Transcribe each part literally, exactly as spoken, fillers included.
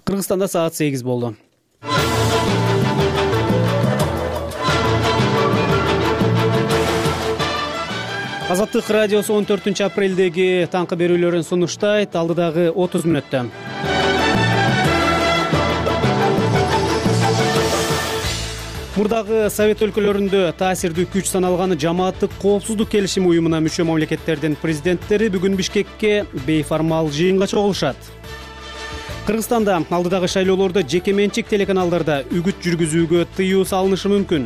Кыргызстанда саат сегиз болду. Азаттык радиосу он төртүнчү апрелдеги таңкы берүүлөрүн сунуштайт. Алдыдагы отуз мүнөттө. Мурдагы Совет өлкөлөрүндө таасирдүү күч саналган Жамааттык коопсуздук келишими уюмуна мүчө мамлекеттердин президенттери бүгүн Бишкекке бейформал жыйынга чогулушат. Кыргызстанда алдыдагы шайлоолордо жеке менчик телеканалдарда үгүт жүргүзүүгө тыюу салынышы мүмкүн.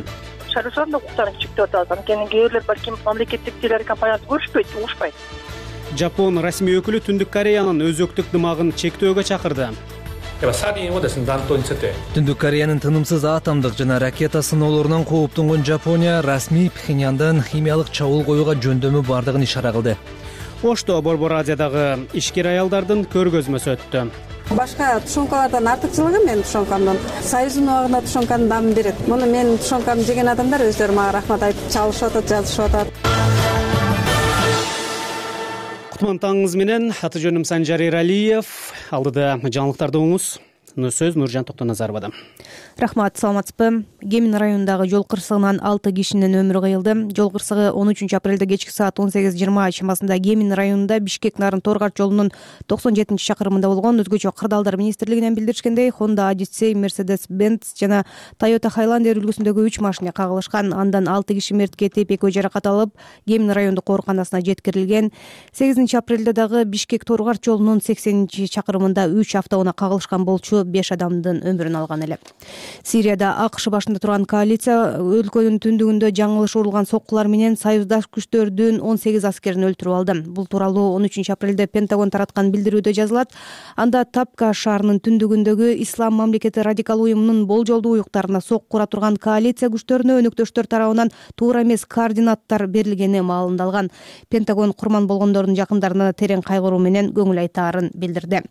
Шайлоочулардын укуктарын чектеп атат. Анткени кээ бирлер балким мамлекеттик телекомпанияларды көрүшпөйт, угушпайт. Жапон расмий өкүлү Түндүк Кореянын өзөктүк дымагын чектөөгө чакырды. Түндүк Кореянын тынымсыз атомдук жана ракета сыноолорунан кооптонгон Жапония расмий Пхеньяндан химиялык чабуул коюуга жөндөмү бардыгын ишара кылды. Ошто Борбор Азиядагы ишкер аялдардын көргөзмөсү өттү. Башка тушенкалардан артыкчылыгы менин тушенкамдын Союздун убагында тушенканын дамын берет. Муну менин тушенкамды жеген адамдар өздөрү мага рахмат айтып чалышып атат, жазышып атат. Кутман таңыңыз менен, аты жөнүм Санжар Эралиев. Алдыда жаңылыктарды угуңуз. Сөз Нуржан Токтоназаровада. Рахмат, саламатсызбы? Кемин районундагы жол кырсыгынан алты кишинин өмүрү кыйылды. Жол кырсыгы он үчүнчү апрелде кечки саат он сегиз жыйырма чамасында Кемин районунда Бишкек-Нарын Торгаш жолунун токсон жетинчи чакырымында болгон. Өзгөчө кырдаалдар министрлигинен билдиришкендей, Honda Odyssey, Mercedes-Benz жана Toyota Highlander үлгүсүндөгү үч машина кагылышкан. Андан алты киши мерт кетип, экөө жаракат алып, Кемин райондук ооруканасына жеткирилген. сегизинчи апрелде дагы Бишкек-Торгаш жолунун сексенинчи чакырымында үч автоунаа кагылышкан болчу беш адамдын өмүрүн алган эле. Сирияда АКШ башында турган коалиция өлкөнүн түндүгүндө жаңылыш урулган соккулар менен союздаш күчтөрдүн он сегиз аскерин өлтүрүп алды. Бул тууралуу он үчүнчү апрелде Пентагон тараткан билдирүүдө жазылат. Анда Тапка шаарынын түндүгүндөгү Ислам мамлекети радикал уюмунун болжолдуу уюктарына сокку ура турган коалиция күчтөрүнө өнөктөштөр тарабынан туура эмес координаттар берилгени маалымдалган. Пентагон курман болгондордун жакындарына терең кайгыруу менен көңүл айтаарын билдирди.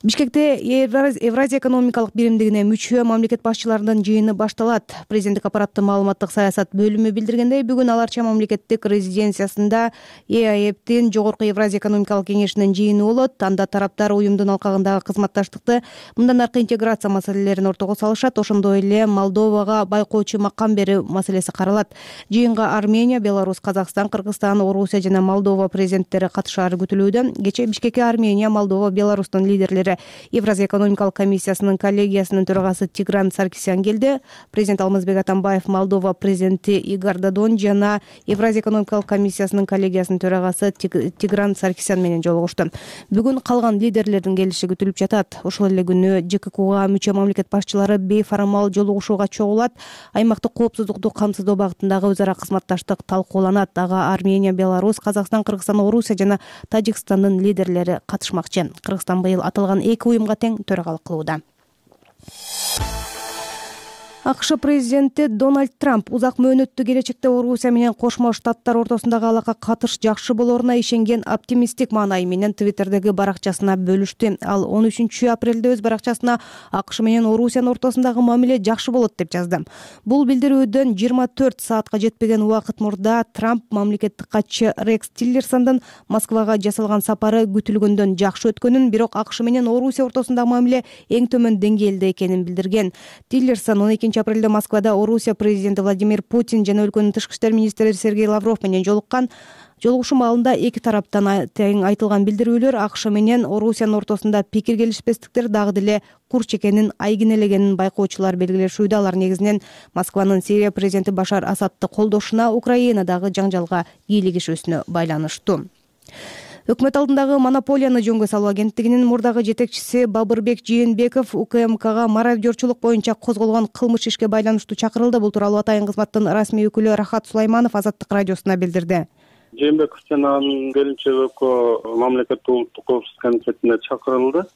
Бишкекте Евразия экономикалык биримдигине мүчө мамлекет башчыларынын жыйыны башталат. Президенттик аппараттын маалыматтык саясат бөлүмү билдиргендей, бүгүн аларча мамлекеттик резиденциясында ЭАЭптин Жогорку Евразия экономикалык кеңешинин жыйыны болот. Анда тараптар уюмдун алкагындагы кызматташтыкты, мындан аркы интеграция маселелерин ортого салышат. Ошондой эле Молдовага байкоочу макам берүү маселеси каралат. Жыйынга Армения, Беларусь, Казакстан, Кыргызстан, Орусия жана Молдова президенттери катышаары күтүлүүдө. Кечээ Бишкекке Армения, Молдова, Беларустун лидерлери Евразия экономикалык комиссиясынын коллегиясынын төрагасы Тигран Саркисян келди. Президент Алмазбек Атамбаев Молдова президенти Игор Додон жана Евразия экономикалык комиссиясынын коллегиясынын төрагасы Тигран Саркисян менен жолугушту. Бүгүн калган лидерлердин келиши күтүлүп жатат. Ошол эле күнү ЖККга мүчө мамлекет башчылары бейформал жолугушууга чогулат. Аймактык коопсуздукту камсыздоо багытындагы өз ара кызматташтык талкууланат. Ага Армения, Беларусь, Казакстан, Кыргызстан, Орусия жана Тажикстандын лидерлери катышмакчы. Кыргызстан быйыл аталган эки уюмга тең төрагалык кылууда. АКШ президенти Дональд Трамп узак мөөнөттүү келечекте Орусия менен Кошмо Штаттар ортосундагы алака катыш жакшы болоруна ишенген оптимисттик маанай менен Твиттердеги баракчасына бөлүштү. Ал он үчүнчү апрелде өз баракчасына АКШ менен Орусиянын ортосундагы мамиле жакшы болот деп жазды. Бул билдирүүдөн жыйырма төрт саатка жетпеген убакыт мурда Трамп мамлекеттик катчы Рекс Тиллерсондун Москвага жасалган сапары күтүлгөндөн жакшы өткөнүн, бирок АКШ менен Орусия ортосундагы мамиле эң төмөн деңгээлде экенин билдирген. Тиллерсон он экинчи апрелде Москвада Орусия президенти Владимир Путин жана өлкөнүн тышкы иштер министри Сергей Лавров менен жолуккан. Жолугушуу маалында эки тараптан тең айтылган билдирүүлөр АКШ менен Орусиянын ортосунда пикир келишпестиктер дагы деле курч экенин, айгинелегенин байкоочулар белгилешүүдө. Алар негизинен Москванын Сирия президенти Башар Асадты колдошуна, Украинадагы жаңжалга кийлигишүүсүнө байланыштуу. Өкмөт алдындагы монополияны жөнгө салуу агенттигинин мурдагы жетекчиси Бабырбек Жээнбеков УКМКга мародёрчулук боюнча козголгон кылмыш ишке байланыштуу чакырылды. Бул тууралуу Атайын кызматтын расмий өкүлү Рахат Сулайманов Азаттык радиосуна билдирди. Жээнбеков жана анын келинчеги экөө мамлекеттик улуттук коопсуздук комитетине чакырылды.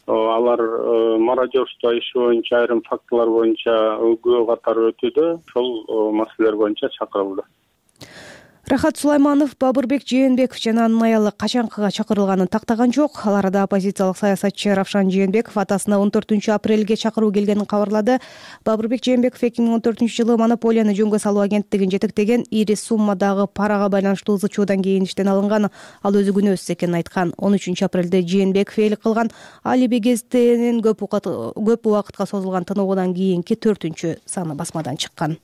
Алар мародёрство иши боюнча айрым фактылар боюнча өкүлгө катары өтүүдө ошол маселелер боюнча чакырылды. Рахат Сулайманов, Бабырбек Жээнбеков жана анын аялы качанкыга чакырылганын тактаган жок. Ал арада оппозициялык саясатчы Равшан Жээнбеков атасына он төртүнчү апрелге чакыруу келгенин кабарлады. Бабырбек Жээнбеков эки миң он төртүнчү жылы монополияны жөнгө салуу агенттигин жетектеген ири суммадагы парага байланыштуу ызы чуудан кийин иштен алынган. Ал өзү күнөөсүз экенин айткан. он үчүнчү апрелде Жээнбеков ээлик кылган Алиби гезитинин көп убакытка созулган тыныгуудан кийинки төртүнчү саны басмадан чыккан.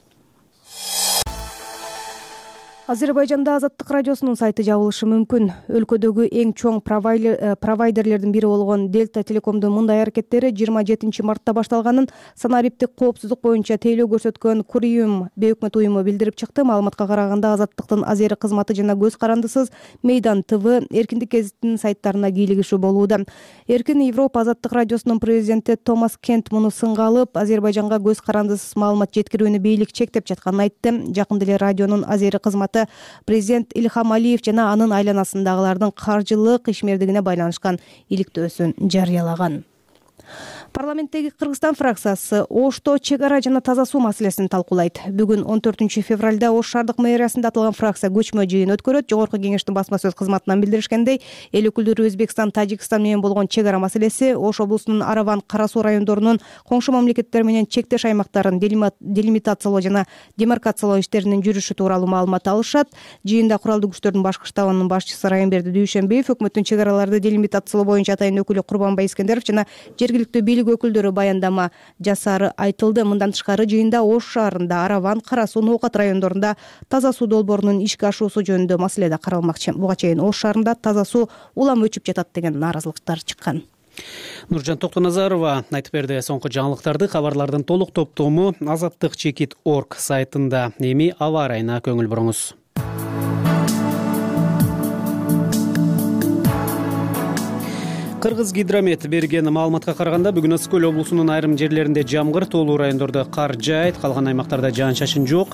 Азербайжанда Азаттык радиосунун сайты жабылышы мүмкүн. Өлкөдөгү эң чоң провайдерлердин бири болгон Дельта Телекомдун мындай аракеттери жыйырма жетинчи мартта башталганын санариптик коопсуздук боюнча тейлөө көрсөткөн Куриюм бейөкмөт уюму билдирип чыкты. Маалыматка караганда Азаттыктын Азери кызматы жана Көз карандысыз Мейдан ТВ, Эркиндик гезитинин сайттарына кийлигишүү болууда. Эркин Европа Азаттык радиосунун президенти Томас Кент муну сынга алып, Азербайжанга көз карандысыз маалымат жеткирүүнү бийлик чектеп жатканын айтты. Жакында эле радионун Азери кызматы президент Ильхам Алиев жана анын айланасындагылардын каржылык ишмердигине байланышкан иликтөөсүн жарыялаган. Парламенттеги Кыргызстан фракциясы Ошто чек ара жана таза суу маселесин талкуулайт. Бүгүн он төртүнчү февралда Ош шаардык мэриясында аталган фракция көчмө жыйын өткөрөт. Жогорку кеңештин басма сөз кызматынан билдиришкендей, эл өкүлдөрү Өзбекстан, Тажикстан менен болгон чек ара маселеси, Ош облусунун Араван, Кара Суу райондорунун коңшу мамлекеттер менен чектеш аймактарын делимитациялоо жана демаркациялоо иштеринин жүрүшү тууралуу маалымат алышат. Жыйында куралдуу күчтөрдүн башкы штабынын башчысы Райымберди Дүйшөнбиев, өкмөттүн чек араларды делимитациялоо боюнча атайын өкүлү Курбанбай Искендеров жана жергиликтүү бийлик өкүлдөрү баяндама жасары айтылды. Мындан тышкары жыйында Ош шаарында, Араван, Кара Суу, Ноокат райондорунда таза суу долбоорунун ишке ашуусу жөнүндө маселе да каралмакчы. Буга чейин Ош шаарында таза суу улам өчүп жатат деген нааразылыктар чыккан. Нуржан Токтоназарова айтып берди. Соңку жаңылыктарды, кабарлардын толук топтому азаттык чекит точка орг сайтында. Эми аба ырайына көңүл буруңуз. Кыргыз гидромет берген маалыматка караганда бүгүн Ысык көл облусунун айрым жерлеринде жамгыр, тоолуу райондордо кар жаайт, калган аймактарда жаан-чачын жок.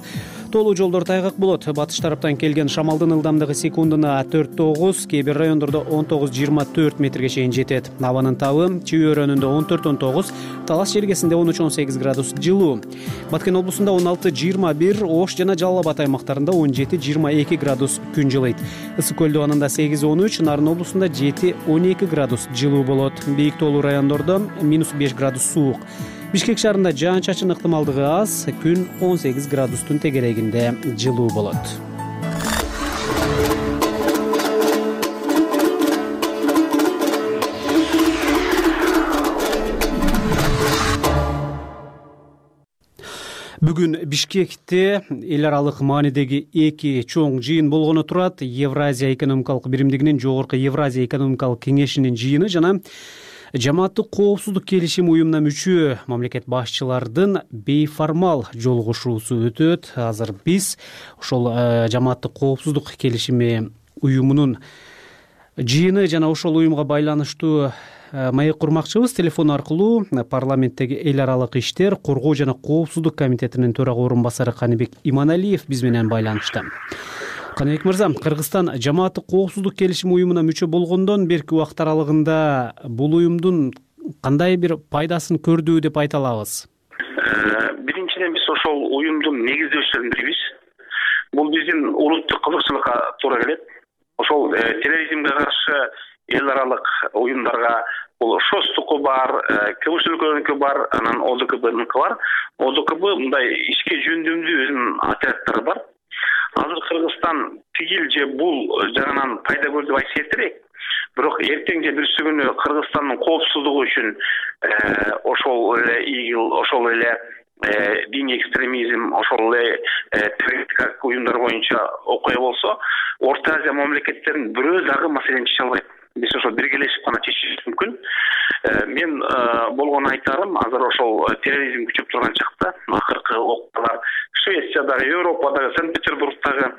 Тоолуу жолдор тайгак болот. Батыш тараптан келген шамалдын ылдамдыгы секундуна төрт тогуз, кээ бир райондордо он тогуз жыйырма төрт метрге чейин жетет. Абанын табы Чүй өрөөнүндө он төрт он тогуз, Талас жергесинде он үч он сегиз градус жылуу. Баткен облусунда он алты жыйырма бир, Ош жана Жалал Абад аймактарында он жети жыйырма эки градус күн жылыйт. Ысык көл дубанында сегиз он үч, Нарын облусунда жети он эки градус жылуу болот. Бийик тоолуу райондордо минус беш градус суук. Бишкек шаарында жаан-чачын ыктымалдыгы аз, күн он сегиз градустун тегерегинде жылуу болот. Бүгүн Бишкекте эл аралык маанидеги эки чоң жыйын болгону турат. Евразия экономикалык биримдигинин жогорку Евразия экономикалык кеңешинин жыйыны жана Жамааттык коопсуздук келишим уюмуна мүчө мамлекет башчылардын бейформал жолугушуусу өтөт. Азыр биз ошол Жамааттык коопсуздук келишими уюмунун жыйыны жана ошол уюмга байланыштуу маек курмакчыбыз. Телефон аркылуу парламенттеги эл аралык иштер, коргоо жана коопсуздук комитетинин төрага орун басары Каныбек Иманалиев биз менен байланышта. Каныбек мырза, Кыргызстан Жамааттык коопсуздук келишим уюмуна мүчө болгондон берки убакыт аралыгында бул уюмдун кандай бир пайдасын көрдү деп айта алабыз? Биринчиден биз ошол уюмдун негиздөөчүлөрүн билебиз. Бул биздин улуттук кызыкчылыкка туура келет. Ошол терроризмге каршы эл аралык уюмдарга бул ШОСтуку бар, КБШ-ныкы бар, анан ОДКБ-ныкы бар. ОДКБ мындай ишке жөндөмдүү өзүнүн отряддары бар. Азыр Кыргызстан тигил же бул жагынан пайда көрдү деп айтса эртерээк. Бирок эртең же бүрсү күнү Кыргызстандын коопсуздугу үчүн ошол эле ИГИЛ, ошол эле диний экстремизм, ошол эле террористтик уюмдар боюнча окуя болсо, Орто Азия мамлекеттеринин бирөө дагы маселени чече албайт. Биз ошо биргелешип гана чечишибиз мүмкүн. Мен болгону айтарым, азыр ошол терроризм күчөп турган чакта акыркы окуялар Швециядагы, Европадагы, Санкт-Петербургдагы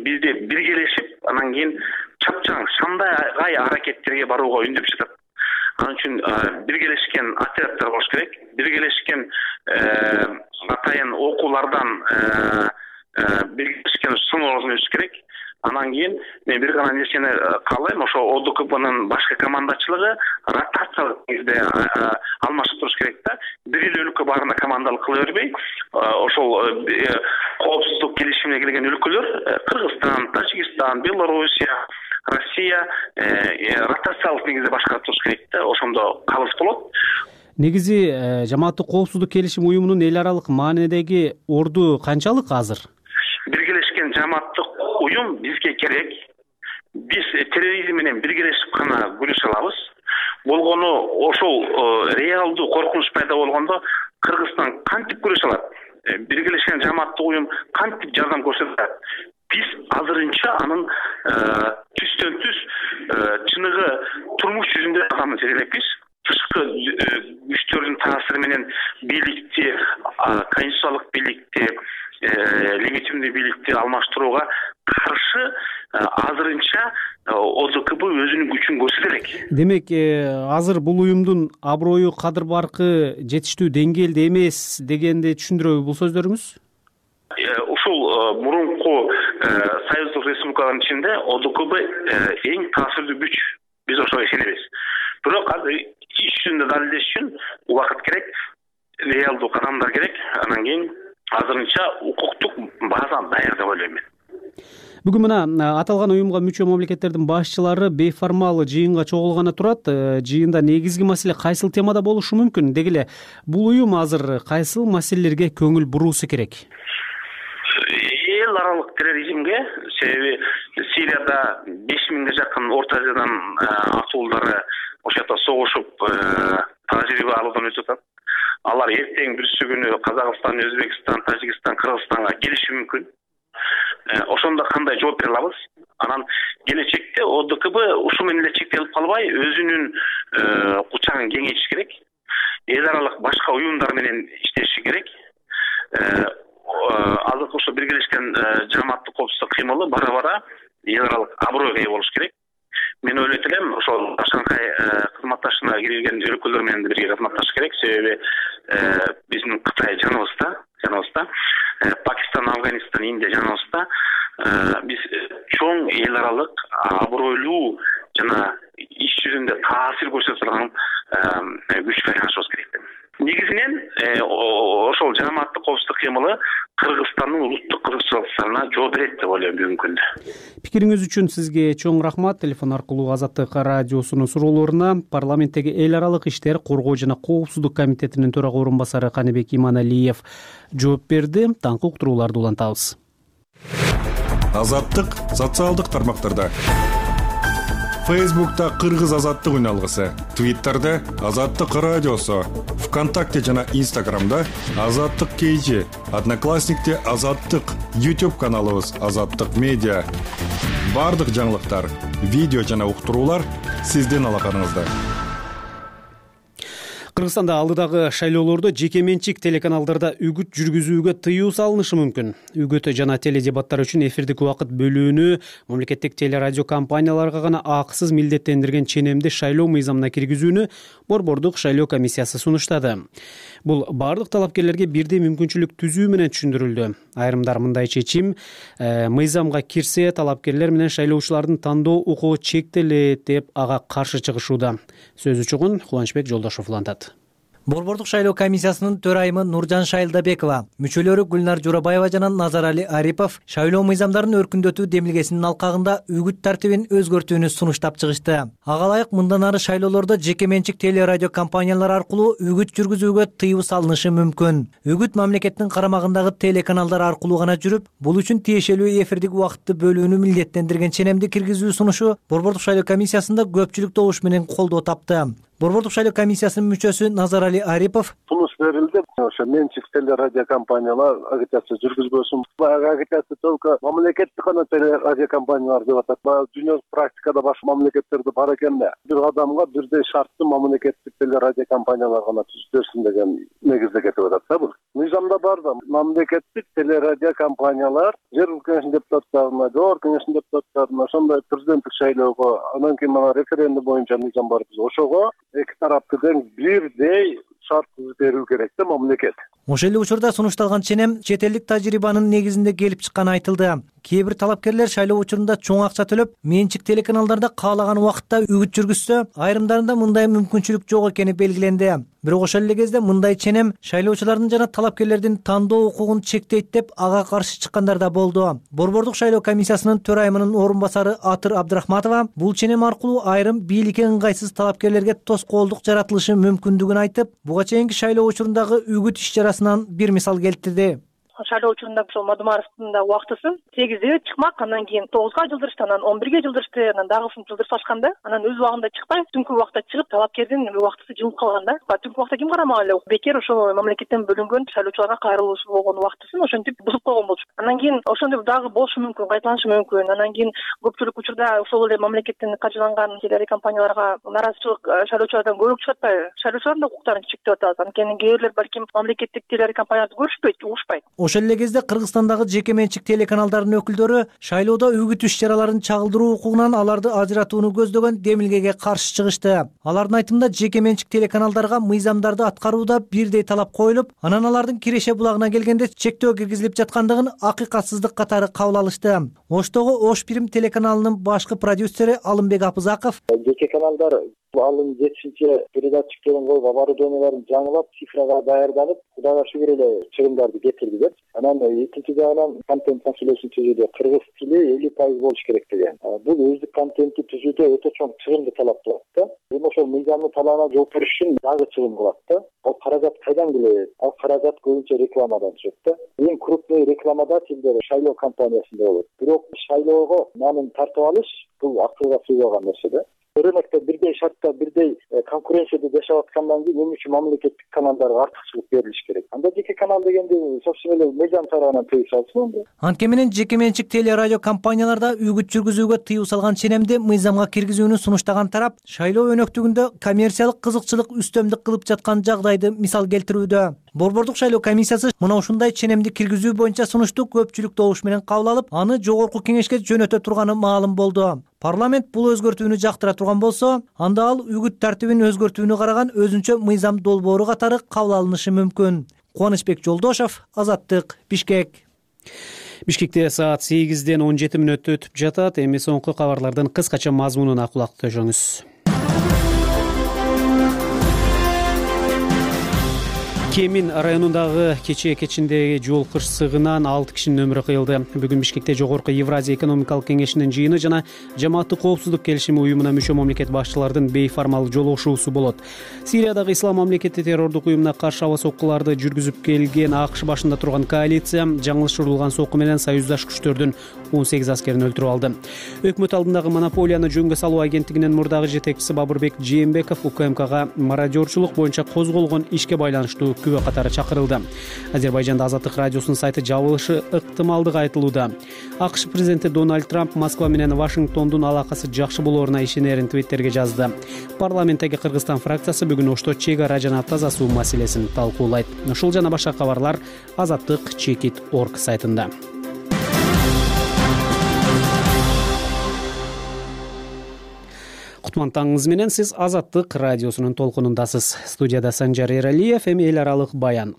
бизде биргелешип, анан кийин чапчаң шандай аракеттерге барууга үндөп жатат. Анын үчүн биргелешкен отряддар болуш керек, биргелешкен атайын окуулардан биргелешкен сыноо өтүш керек. Анан кийин мен бир гана нерсени каалайм, ошо О Д К Бнын башкы командачылыгы ротациялык негизде алмашып туруш керек да. Бир эле өлкө баарына командалык кыла бербей, ошол коопсуздук келишимине келген өлкөлөр Кыргызстан, Тажикстан, Белоруссия, Россия ротациялык негизде башкарып туруш керек да. Ошондо калыс болот. Негизи жамааттык коопсуздук келишим уюмунун эл аралык маанидеги орду канчалык азыр? Биргелешкен жамааттык уюм бизге керек. Биз терроризм менен биргелешип гана күрөшө алабыз. Болгону ошол реалдуу коркунуч пайда болгондо Кыргызстан кантип күрөшө алат? Биргелешкен жамааттык уюм кантип жардам көрсөтөт? Биз азырынча анын түстөн түз чыныгы турмуш жүзүндө адамды сезелекпиз. Тышкы күчтөрдүн таасири менен бийликти, конституциялык бийликти, легитимдүү бийликти алмаштырууга каршы азырынча О Д К Б өзүнүн күчүн көрсөтө элек. Демек, азыр бул уюмдун аброю, кадыр баркы жетиштүү деңгээлде эмес дегенди түшүндүрөбү бул сөздөрүңүз? Ушул мурунку союздук республикалардын ичинде О Д К Б эң таасирдүү күч. Биз ошого ишенебиз. Бирок азыр иш жүзүндө далилдеш үчүн убакыт керек, реалдуу кадамдар керек. Анан кийин азырынча укуктук база даяр деп ойлойм мен. Бүгүн мына аталган уюмга мүчө мамлекеттердин башчылары бейформал жыйынга чогулганы турат. Жыйында негизги маселе кайсыл темада болушу мүмкүн? Деги эле бул уюм азыр кайсыл маселелерге көңүл буруусу керек? Эл аралык терроризмге, себеби Сирияда беш миңге жакын Орто Азиядан атуулдары ошол жакта согушуп, тажрыйба алуудан өтүп атат. Алар эртең бүрсү күнү Казакстан, Өзбекстан, Тажикстан, Кыргызстанга келиши мүмкүн. Ошондо кандай жооп бере алабыз? Анан келечекте О Д К Б ушу менен эле чектелип калбай, өзүнүн кучагын кеңейтиш керек. Эл аралык башка уюмдар менен иштеши керек. Азыркы ошо биргелешкен жамааттык коопсуздук кыймылы бара-бара эл аралык абройго ээ болуш керек. Мен ойлойт элем, ошол Шанхай кызматташына кирген өлкөлөр менен бирге кызматташыш керек. Себеби биздин Кытай жаныбызда, жаныбызда, Пакистан, Афганистан, Индия жаныбызда. Биз чоң эл аралык абройлуу жана иш жүзүндө таасир көрсөтө турган күчкө айланышыбыз керек. Негизинен ошол жамааттык коопсуздук кыймылы Кыргызстандын улуттук кызыкчылыктарына жооп берет деп ойлойм бүгүнкү күндө. Пикириңиз үчүн сизге чоң рахмат. Телефон аркылуу Азаттык радиосунун суроолоруна парламенттеги эл аралык иштер, коргоо жана коопсуздук комитетинин төрага орун басары Каныбек Иманалиев жооп берди. Таңкы уктурууларды улантабыз. Азаттык социалдык тармактарда. Фейсбукта Кыргыз азаттык үналгысы, Твиттерде Азаттык радиосу, ВКонтакте жана Инстаграмда Азаттык кей жи, Одноклассникте Азаттык, YouTube каналыбыз Азаттык медиа. Бардык жаңылыктар, видео жана уктуруулар сиздин алаканыңызда. Кыргызстанда алдыдагы шайлоолордо жеке менчик телеканалдарда үгүт жүргүзүүгө тыюу салынышы мүмкүн. Үгүт жана теледебаттар үчүн эфирдик убакыт бөлүүнү мамлекеттик телерадио компанияларга гана акысыз милдеттендирген ченемди шайлоо мыйзамына киргизүүнү Борбордук шайлоо комиссиясы сунуштады. Бул бардык талапкерлерге бирдей мүмкүнчүлүк түзүү менен түшүндүрүлдү. Айрымдар мындай чечим мыйзамга кирсе, талапкерлер менен шайлоочулардын тандоо укугу чектелет деп ага каршы чыгышууда. Сөзү чогун Кубанычбек Жолдошов улантат. Борбордук шайлоо комиссиясынын төрайымы Нуржан Шайлдабекова, мүчөлөрү Гүлнар Журабаева жана Назарали Арипов шайлоо мыйзамдарын өркүндөтүү демилгесинин алкагында үгүт тартибин өзгөртүүнү сунуштап чыгышты. Ага ылайык мындан ары шайлоолордо жеке менчик телерадио компаниялар аркылуу үгүт жүргүзүүгө тыюу салынышы мүмкүн. Үгүт мамлекеттин карамагындагы телеканалдар аркылуу гана жүрүп, бул үчүн тиешелүү эфирдик убакытты бөлүүнү милдеттендирген ченемди киргизүү сунушу Борбордук шайлоо комиссиясында көпчүлүк добуш менен колдоо тапты. Борбордук шайлоо комиссиясынын мүчөсү Назарали Арипов сунуш берилди. Ошо менчик телерадио компаниялар агитация жүргүзбөсүн. Баягы агитация только мамлекеттик гана телерадио компаниялар деп атат. Баягы дүйнөлүк практикада башка мамлекеттерде бар экен да. Бир адамга бирдей шартты мамлекеттик телерадио компаниялар гана түзүп берсин деген негизде кетип атат да бул. Мыйзамда бар да мамлекеттик телерадио компаниялар жергиликтүү кеңештин депутаттарына, жогорку кеңештин депутаттарына, ошондой президенттик шайлоого, анан кийин мана референдум боюнча мыйзам бар биз. Ошого эки тараптын бирдей шарт берүү керек да мамлекет. Ошол эле учурда сунушталган ченем чет элдик тажрыйбанын негизинде келип чыкканы айтылды. Кээ бир талапкерлер шайлоо учурунда чоң акча төлөп, менчик телеканалдарда каалаган убакытта үгүт жүргүзсө, айрымдарында мындай мүмкүнчүлүк жок экени белгиленди. Бирок ошол эле кезде мындай ченем шайлоочулардын жана талапкерлердин тандоо укугун чектейт деп ага каршы чыккандар да болду. Борбордук шайлоо комиссиясынын төрайымынын орун басары Атыр Абдрахматова бул ченем аркылуу айрым бийликке ыңгайсыз талапкерлерге тоскоолдук жаратылышы мүмкүндүгүн айтып, буга чейинки шайлоо учурундагы үгүт иш-чарасынан бир мисал келтирди. Шайлоо учурунда ошол Мадумаровдун да убактысы сегизде чыкмак, анан кийин тогузга жылдырышты, анан он бирге жылдырышты, анан дагы ушинтип жылдырып алышканда, анан өз убагында чыкпай, түнкү убакта чыгып, талапкердин убактысы жылып калган да. Түнкү убакта ким карамак эле? Бекер ошол мамлекеттен бөлүнгөн шайлоочуларга кайрылуучу болгон убактысын ошентип бузуп койгон болчу. Анан кийин ошондой дагы болушу мүмкүн, кайталанышы мүмкүн. Анан кийин көпчүлүк учурда ошол эле мамлекеттен каржыланган телекомпанияларга наразычылык шайлоочулардан көбүрөөк чыгып атпайбы? Шайлоочулардын да укуктарын чектеп атабыз. Анткени кээ бирлер балким мамлекеттик телекомпанияларды көрүшпөйт, угушпайт. Ошол эле кезде Кыргызстандагы жеке менчик телеканалдардын өкүлдөрү шайлоодо үгүт иш-чараларын чагылдыруу укугунан аларды ажыратууну көздөгөн демилгеге каршы чыгышты. Алардын айтымында жеке менчик телеканалдарга мыйзамдарды аткарууда бирдей талап коюлуп, анан алардын киреше булагына келгенде чектөө киргизилип жаткандыгын акыйкатсыздык катары кабыл алышты. Оштогу Ош Бирим телеканалынын башкы продюсери Алымбек Апызаков жеке каналдар алын жетишинче передатчиктерин коюп, оборудованияларын жаңылап, цифрага даярданып, Кудайга шүгүр эле чыгымдарды кетирдилер. Анан экинчи жагынан контент маселесин түзүүдө кыргыз тили элүү пайыз болуш керек деген. Бул өздүк контентти түзүүдө өтө чоң чыгымды талап кылат да. Эми ошол мыйзамдын талабына жооп бериш үчүн дагы чыгым кылат да. Ал каражат кайдан келет? Ал каражат көбүнчө рекламадан түшөт да. Эң крупный рекламодателдер шайлоо компаниясында болот. Бирок шайлоого нанын тартып алыш бул акылга сыйбаган нерсе да. Рынокто бирдей шартта, бирдей конкуренцияда жашап аткандан кийин эмне үчүн мамлекеттик каналдарга артыкчылык берилиш керек? Анда жеке канал дегенди собственно эле мыйзам тарабынан тыюу салсын анда. Анткени менен жеке менчик телерадио компанияларда үгүт жүргүзүүгө тыюу салган ченемди мыйзамга киргизүүнү сунуштаган тарап шайлоо өнөктүгүндө коммерциялык кызыкчылык үстөмдүк кылып жаткан жагдайды мисал келтирүүдө. Борбордук шайлоо комиссиясы мына ушундай ченемди киргизүү боюнча сунушту көпчүлүк добуш менен кабыл алып, аны жогорку кеңешке жөнөтө турганы маалым болду. Парламент бул өзгөртүүнү жактыра турган болсо, анда ал үгүт тартибин өзгөртүүнү караган өзүнчө мыйзам долбоору катары кабыл алынышы мүмкүн. Кубанычбек Жолдошов, Азаттык, Бишкек. Бишкекте саат сегизден он жети мүнөт өтүп жатат. Эми соңку кабарлардын кыскача мазмунуна кулак төшөңүз. Кемин районундагы кечээ кечиндеги жол кырсыгынан алты кишинин өмүрү кыйылды. Бүгүн Бишкекте Жогорку Евразия экономикалык кеңешинин жыйыны жана Жамааттык коопсуздук келишими уюмуна мүчө мамлекет башчыларынын бейформал жолугушуусу болот. Сириядагы ислам мамлекети террордук уюмуна каршы аба соккуларды жүргүзүп келген АКШ башында турган коалиция жаңылышырылган сокку менен союздаш күчтөрдүн он сегиз аскерин өлтүрүп алды. Өкмөт алдындагы монополияны жөнгө салуу агенттигинин мурдагы жетекчиси Бабырбек Жээнбеков УКМКга мародёрчулук боюнча козголгон ишке байланыштуу күбө катары чакырылды. Азербайжанда Азаттык радиосунун сайты жабылышы ыктымалдыгы айтылууда. АКШ президенти Дональд Трамп Москва менен Вашингтондун алакасы жакшы болооруна ишенерин твиттерге жазды. Парламенттеги Кыргызстан фракциясы бүгүн Ошто чек ара жана таза суу маселесин талкуулайт. Ушул жана башка кабарлар Азаттык чекит точка орг сайтында. Кутман таңыңыз менен сиз Азаттык радиосунун толкунундасыз. Студияда Санжар Эралиев, эми эл аралык баян.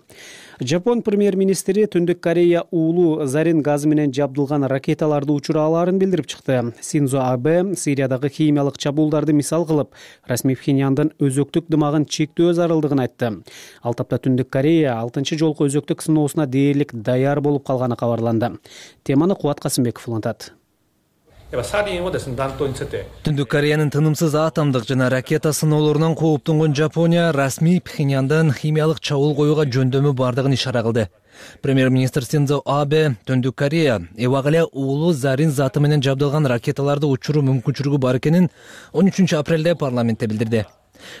Жапон премьер-министри Түндүк Корея уулу зарин газы менен жабдылган ракеталарды учурааларын билдирип чыкты. Синдзо Абе Сириядагы химиялык чабуулдарды мисал кылып, расмий Пхеньяндын өзөктүк дымагын чектөө зарылдыгын айтты. Ал тапта Түндүк Корея алтынчы жолку өзөктүк сыноосуна дээрлик даяр болуп калганы кабарланды. Теманы Кубат Касымбеков улантат. Түндүк Кореянын тынымсыз атомдук жана ракета сыноолорунан кооптонгон Жапония расмий Пхеньяндын химиялык чабуул коюуга жөндөмү бардыгын ишара кылды. Премьер-министр Синдзо Абе Түндүк Корея эбак эле уулу зарин заты менен жабдылган ракеталарды учуруу мүмкүнчүлүгү бар экенин он үчүнчү апрелде парламентте билдирди.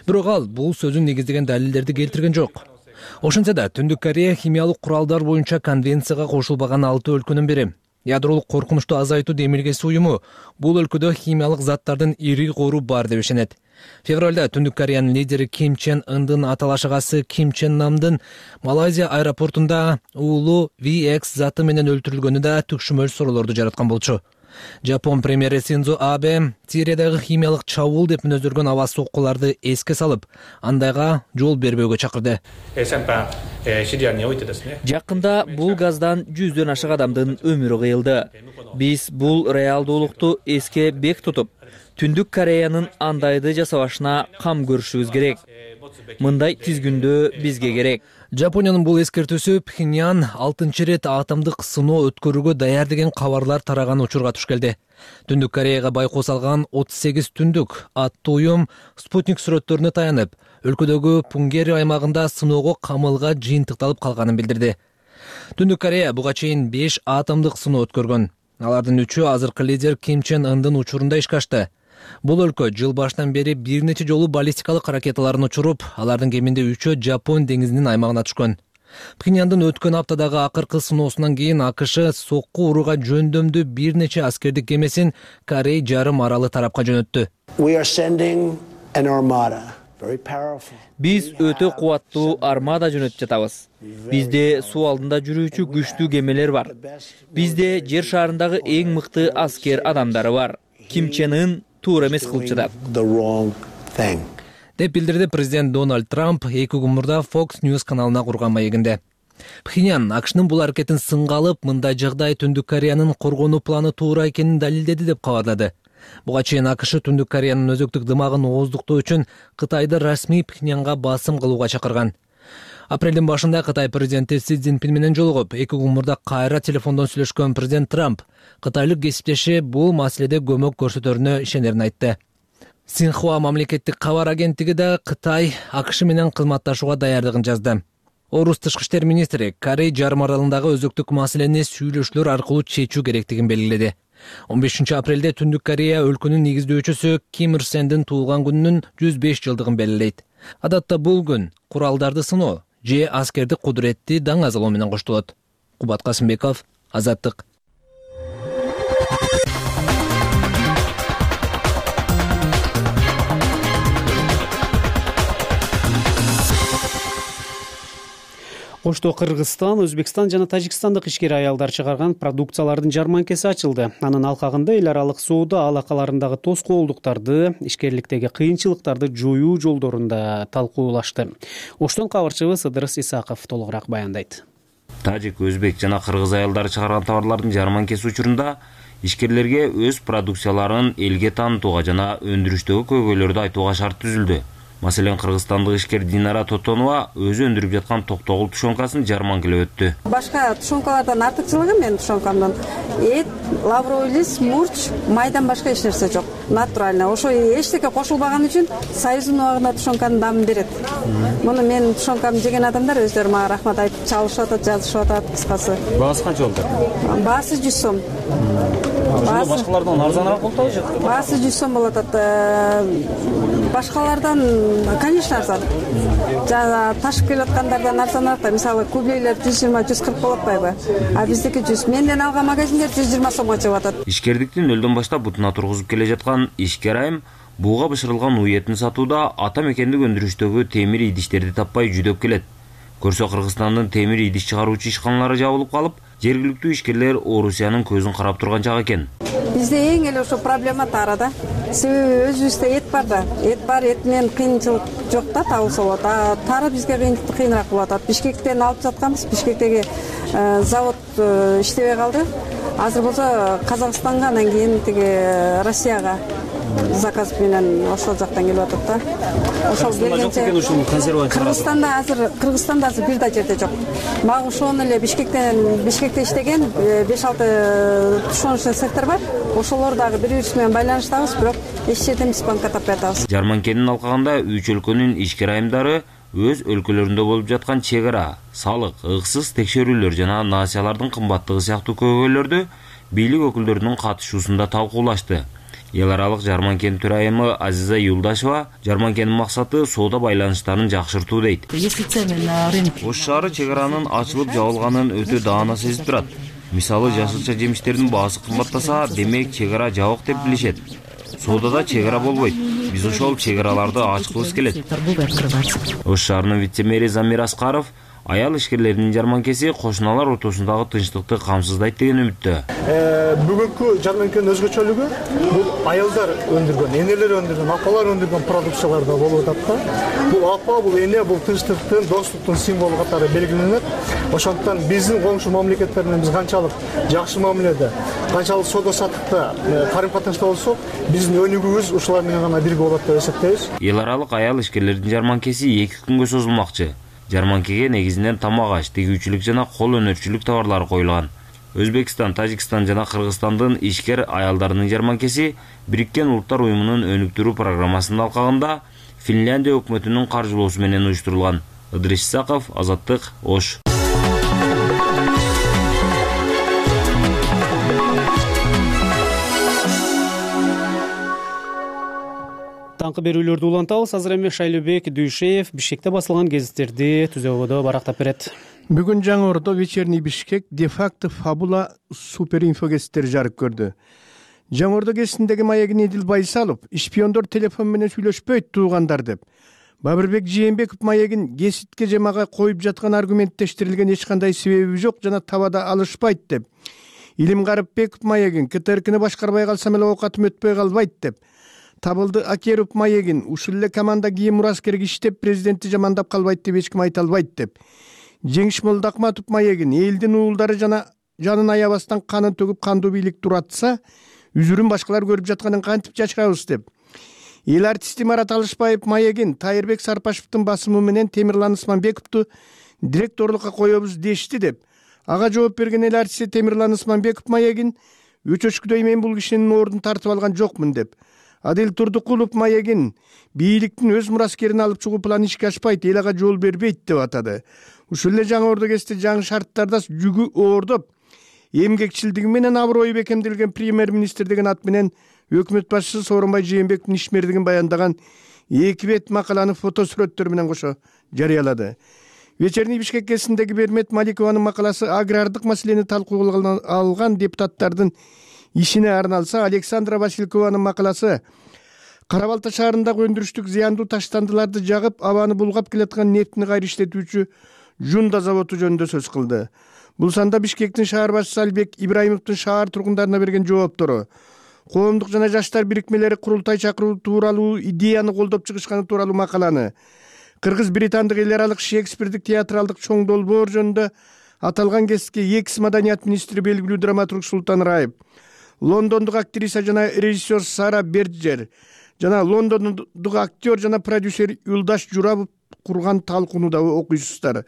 Бирок ал бул сөзүн негиздеген далилдерди келтирген жок. Ошентсе да Түндүк Корея химиялык куралдар боюнча конвенцияга кошулбаган алты өлкөнүн бири. Ядролук коркунучту азайтуу демилгеси уюму бул өлкөдө химиялык заттардын ири кору бар деп ишенет. Февралда Түндүк Кореянын лидери Ким Чен Ындын аталаш агасы Ким Чен Намдын Малайзия аэропортунда уулу ви экс заты менен өлтүрүлгөнү да түкшүмөл суроолорду жараткан болчу. Жапон премьери Синдзо Абе Сириядагы химиялык чабуул деп мүнөздөргөн аба соккуларды эске салып, андайга жол бербөөгө чакырды. Жакында бул газдан жүздөн ашык адамдын өмүрү кыйылды. Биз бул реалдуулукту эске бек тутуп, Түндүк Кореянын андайды жасабашына кам көрүшүбүз керек. Мындай тизгүндөө бизге керек. Жапониянын бул эскертүүсү Пхеньян алтынчы ирет атомдук сыноо өткөрүүгө даяр деген кабарлар тараган учурга туш келди. Түндүк Кореяга байкоо салган отуз сегиз түндүк аттуу уюм спутник сүрөттөрүнө таянып, өлкөдөгү Пунгери аймагында сыноого камылга жыйынтыкталып калганын билдирди. Түндүк Корея буга чейин беш атомдук сыноо өткөргөн. Алардын үчөө азыркы лидер Ким Чен Ындын учурунда ишке ашты. Бул өлкө жыл башынан бери бир нече жолу баллистикалык ракеталарын учуруп, алардын кеминде үчөө Жапон деңизинин аймагына түшкөн. Пхеньяндын өткөн аптадагы акыркы сыноосунан кийин АКШ сокку урууга жөндөмдүү бир нече аскердик кемесин Корей жарым аралы тарапка жөнөттү. Биз өтө кубаттуу армада жөнөтүп жатабыз. Бизде суу алдында жүрүүчү күчтүү кемелер бар. Бизде жер шарындагы эң мыкты аскер адамдары бар. Ким Чен Ын туура эмес кылып жатат деп билдирди президент Дональд Трамп эки күн мурда Fox News каналына курган маегинде. Пхеньян АКШнын бул аракетин сынга алып, мындай жагдай Түндүк Кореянын коргонуу планы туура экенин далилдеди деп кабарлады. Буга чейин АКШ Түндүк Кореянын өзөктүк дымагын ооздуктоо үчүн Кытайды расмий Пхеньянга басым кылууга чакырган. Апрелдин башында Кытай президенти Си Цзиньпин менен жолугуп, эки күн мурда кайра телефондон сүйлөшкөн президент Трамп кытайлык кесиптеши бул маселеде көмөк көрсөтөрүнө ишенерин айтты. Синхуа мамлекеттик кабар агенттиги да Кытай АКШ менен кызматташууга даярдыгын жазды. Орус тышкы иштер министри Корей жарым аралындагы өзөктүк маселени сүйлөшүүлөр аркылуу чечүү керектигин белгиледи. он бешинчи апрелде Түндүк Корея өлкөнүн негиздөөчүсү Ким Ир Сендин туулган күнүнүн жүз беш жылдыгын белгилейт. Адатта бул күн куралдарды сыноо же аскердик кудуретти даңазалоо менен коштолот. Кубат Касымбеков, Азаттык. Ошто Кыргызстан, Өзбекстан жана Тажикстандык ишкер аялдар чыгарган продукциялардын жарманкеси ачылды. Анын алкагында эл аралык соода алакаларындагы тоскоолдуктарды, ишкерликтеги кыйынчылыктарды жоюу жолдорунда талкуулашты. Оштон кабарчыбыз Ыдырыс Исаков толугураак баяндайт. Тажик, өзбек жана кыргыз аялдары чыгарган товарлардын жарманкеси учурунда ишкерлерге өз продукцияларын элге таанытууга жана өндүрүштөгү көйгөйлөрдү айтууга шарт түзүлдү. Маселен, кыргызстандык ишкер Динара Тотонова өзү өндүрүп жаткан токтогул тушонкасын жарманкелеп өттү. Башка тушонкалардан артыкчылыгы менин тушонкамдын эт, лавровый лист, мурч, майдан башка эч нерсе жок. Натурально. Ошо эчтеке кошулбаган үчүн Союздун убагында тушонканын дамын берет. Муну менин тушонкамды жеген адамдар өздөрү мага рахмат айтып чалышып атат, жазышып атат, кыскасы. Баасы канча болду? Баасы жүз сом. Башкалардан арзаныраак болду же? Баасы жүз сом болот атат. Башкалардан, конечно, арзан. Жана ташып келип аткандардан арзаныраак да. Мисалы, кублейлер жүз жыйырма жүз кырк болуп атпайбы? А биздики жүз. Менден алган магазиндер жүз жыйырма сомго чыгып атат. Ишкердиктин нөлдөн баштап бутуна тургузуп келе жаткан ишкер айым бууга бышырылган уй этин сатууда ата мекендик өндүрүштөгү темир идиштерди таппай жүдөп келет. Көрсө Кыргызстандын темир идиш чыгаруучу ишканалары жабылып калып, жергиликтүү ишкерлер Орусиянын көзүн карап турган жак экен. Бизде эң эле ошо проблема тарада. Себеби өзүбүздө эт бар да. Эт бар, эт менен кыйынчылык жок да, табылса болот. А тара бизге кыйыныраак болуп атат. Бишкектен алып жатканбыз. Бишкектеги завод иштебей калды. Азыр болсо Казакстанга, анан кийин тиги Россияга заказ менен ошол жактан келип атат да. Ошол келгенче Кыргызстанда азыр Кыргызстанда азыр бир да жерде жок. Мага ошону эле Бишкектен Бишкекте иштеген беш алты тушоночный сектор бар. Ошолор дагы бири-бирибиз менен байланыштабыз, бирок эч жерден биз банкка таппай атабыз. Жарманкенин алкагында үч өлкөнүн ишкер айымдары өз өлкөлөрүндө болуп жаткан чек ара, салык, ыксыз текшерүүлөр жана насиялардын кымбаттыгы сыяктуу көйгөйлөрдү бийлик өкүлдөрүнүн катышуусунда талкуулашты. Эл аралык жарманкен төрайымы Азиза Юлдашева жарманкенин максаты соода байланыштарын жакшыртуу дейт. Ош шаары чек аранын ачылып жабылганын өтө даана сезип турат. Мисалы, жашылча жемиштердин баасы кымбаттаса, демек чек ара жабык деп билишет. Соодада чек ара болбойт. Биз ошол чек араларды ачкыбыз келет. Ош шаарынын вице-мэри Замир Аскаров Аял ишкерлеринин жарманкеси кошуналар ортосундагы тынчтыкты камсыздайт деген үмүттө. Бүгүнкү жарманкенин өзгөчөлүгү бул аялдар өндүргөн, энелер өндүргөн, апалар өндүргөн продукцияларда болуп атат да. Бул апа, бул эне, бул тынчтыктын, достуктун символу катары белгиленет. Ошондуктан биздин коңшу мамлекеттер менен биз канчалык жакшы мамиледе, канчалык соода саттыкта карым-катнашта болсок, биздин өнүгүүбүз ушулар менен гана бирге болот деп эсептейбиз. Эл аралык аял ишкерлердин жарманкеси эки күнгө созулмакчы. Жарманкеге негизинен тамак аш, тигүүчүлүк жана кол өнөрчүлүк товарлары коюлган. Өзбекстан, Тажикстан жана Кыргызстандын ишкер аялдарынын жарманкеси Бириккен Улуттар уюмунун өнүктүрүү программасынын алкагында Финляндия өкмөтүнүн каржылоосу менен уюштурулган. Ыдырис Исаков, Азаттык, Ош. Таңкы берүүлөрдү улантабыз. Азыр эми Шайлообек Дүйшеев Бишкекте басылган гезиттерди түзөгөдө барактап берет. Бүгүн Жаңы Ордо вечерний Бишкек де-факто фабула супер инфо гезиттери жарык көрдү. Жаңы Ордо гезитиндеги маегин Эдил Байсалов шпиондор телефон менен сүйлөшпөйт туугандар деп. Бабырбек Жээнбеков маегин гезитке же мага коюп жаткан аргументтештирилген эч кандай себеби жок жана табада алышпайт деп. Илим Карыпбеков маегин КТРКны башкарбай калсам эле оокатым өтпөй калбайт деп. Табылды Акеров маегин ушул эле команда кийин Мураскерге иштеп президентти жамандап калбайт деп эч ким айта албайт деп. Жеңиш Молдокматов маегин элдин уулдары жана жанын аябастан канын төгүп кандуу бийлик туратса, үзүрүн башкалар көрүп жатканын кантип жашырабыз деп. Эл артисти Марат Алышбаев маегин Тайырбек Сарпашевдин басымы менен Темирлан Исманбековду директорлукка коебуз дешти деп. Ага жооп берген эл артисти Темирлан Исманбеков маегин өчөчкүдөй мен бул кишинин ордун тартып алган жокмун деп. Адил Турдукулов маегин бийликтин өз мураскерин алып чыгуу планы ишке ашпайт, эл ага жол бербейт деп атады. Ушул эле Жаңы Ордо гезити жаңы шарттарда жүгү оордоп, эмгекчилдиги менен аброю бекемделген премьер-министр деген ат менен өкмөт башчысы Сооронбай Жээнбековдун ишмердигин баяндаган эки бет макаланы фото сүрөттөр менен кошо жарыялады. Вечерний Бишкек гезитиндеги Бермет Маликованын макаласы агрардык маселени талкууга алган депутаттардын ишине арналса, Александра Василькованын макаласы Кара Балта шаарындагы өндүрүштүк зыяндуу таштандыларды жагып, абаны булгап келаткан нефтини кайра иштетүүчү Жунда заводу жөнүндө сөз кылды. Бул санда Бишкектин шаар башчысы Албек Ибраимовдун шаар тургундарына берген жооптору, коомдук жана жаштар бирикмелери курултай чакыруу тууралуу идеяны колдоп чыгышканы тууралуу макаланы, кыргыз-британдык эл аралык Шекспирдик театралдык чоң долбоор жөнүндө аталган гезитке экс маданият министри белгилүү драматург Султан Раев, лондондук актриса жана режиссер Сара Берджер жана лондондук актер жана продюсер Юлдаш Журабов курган талкууну окуйсуздар.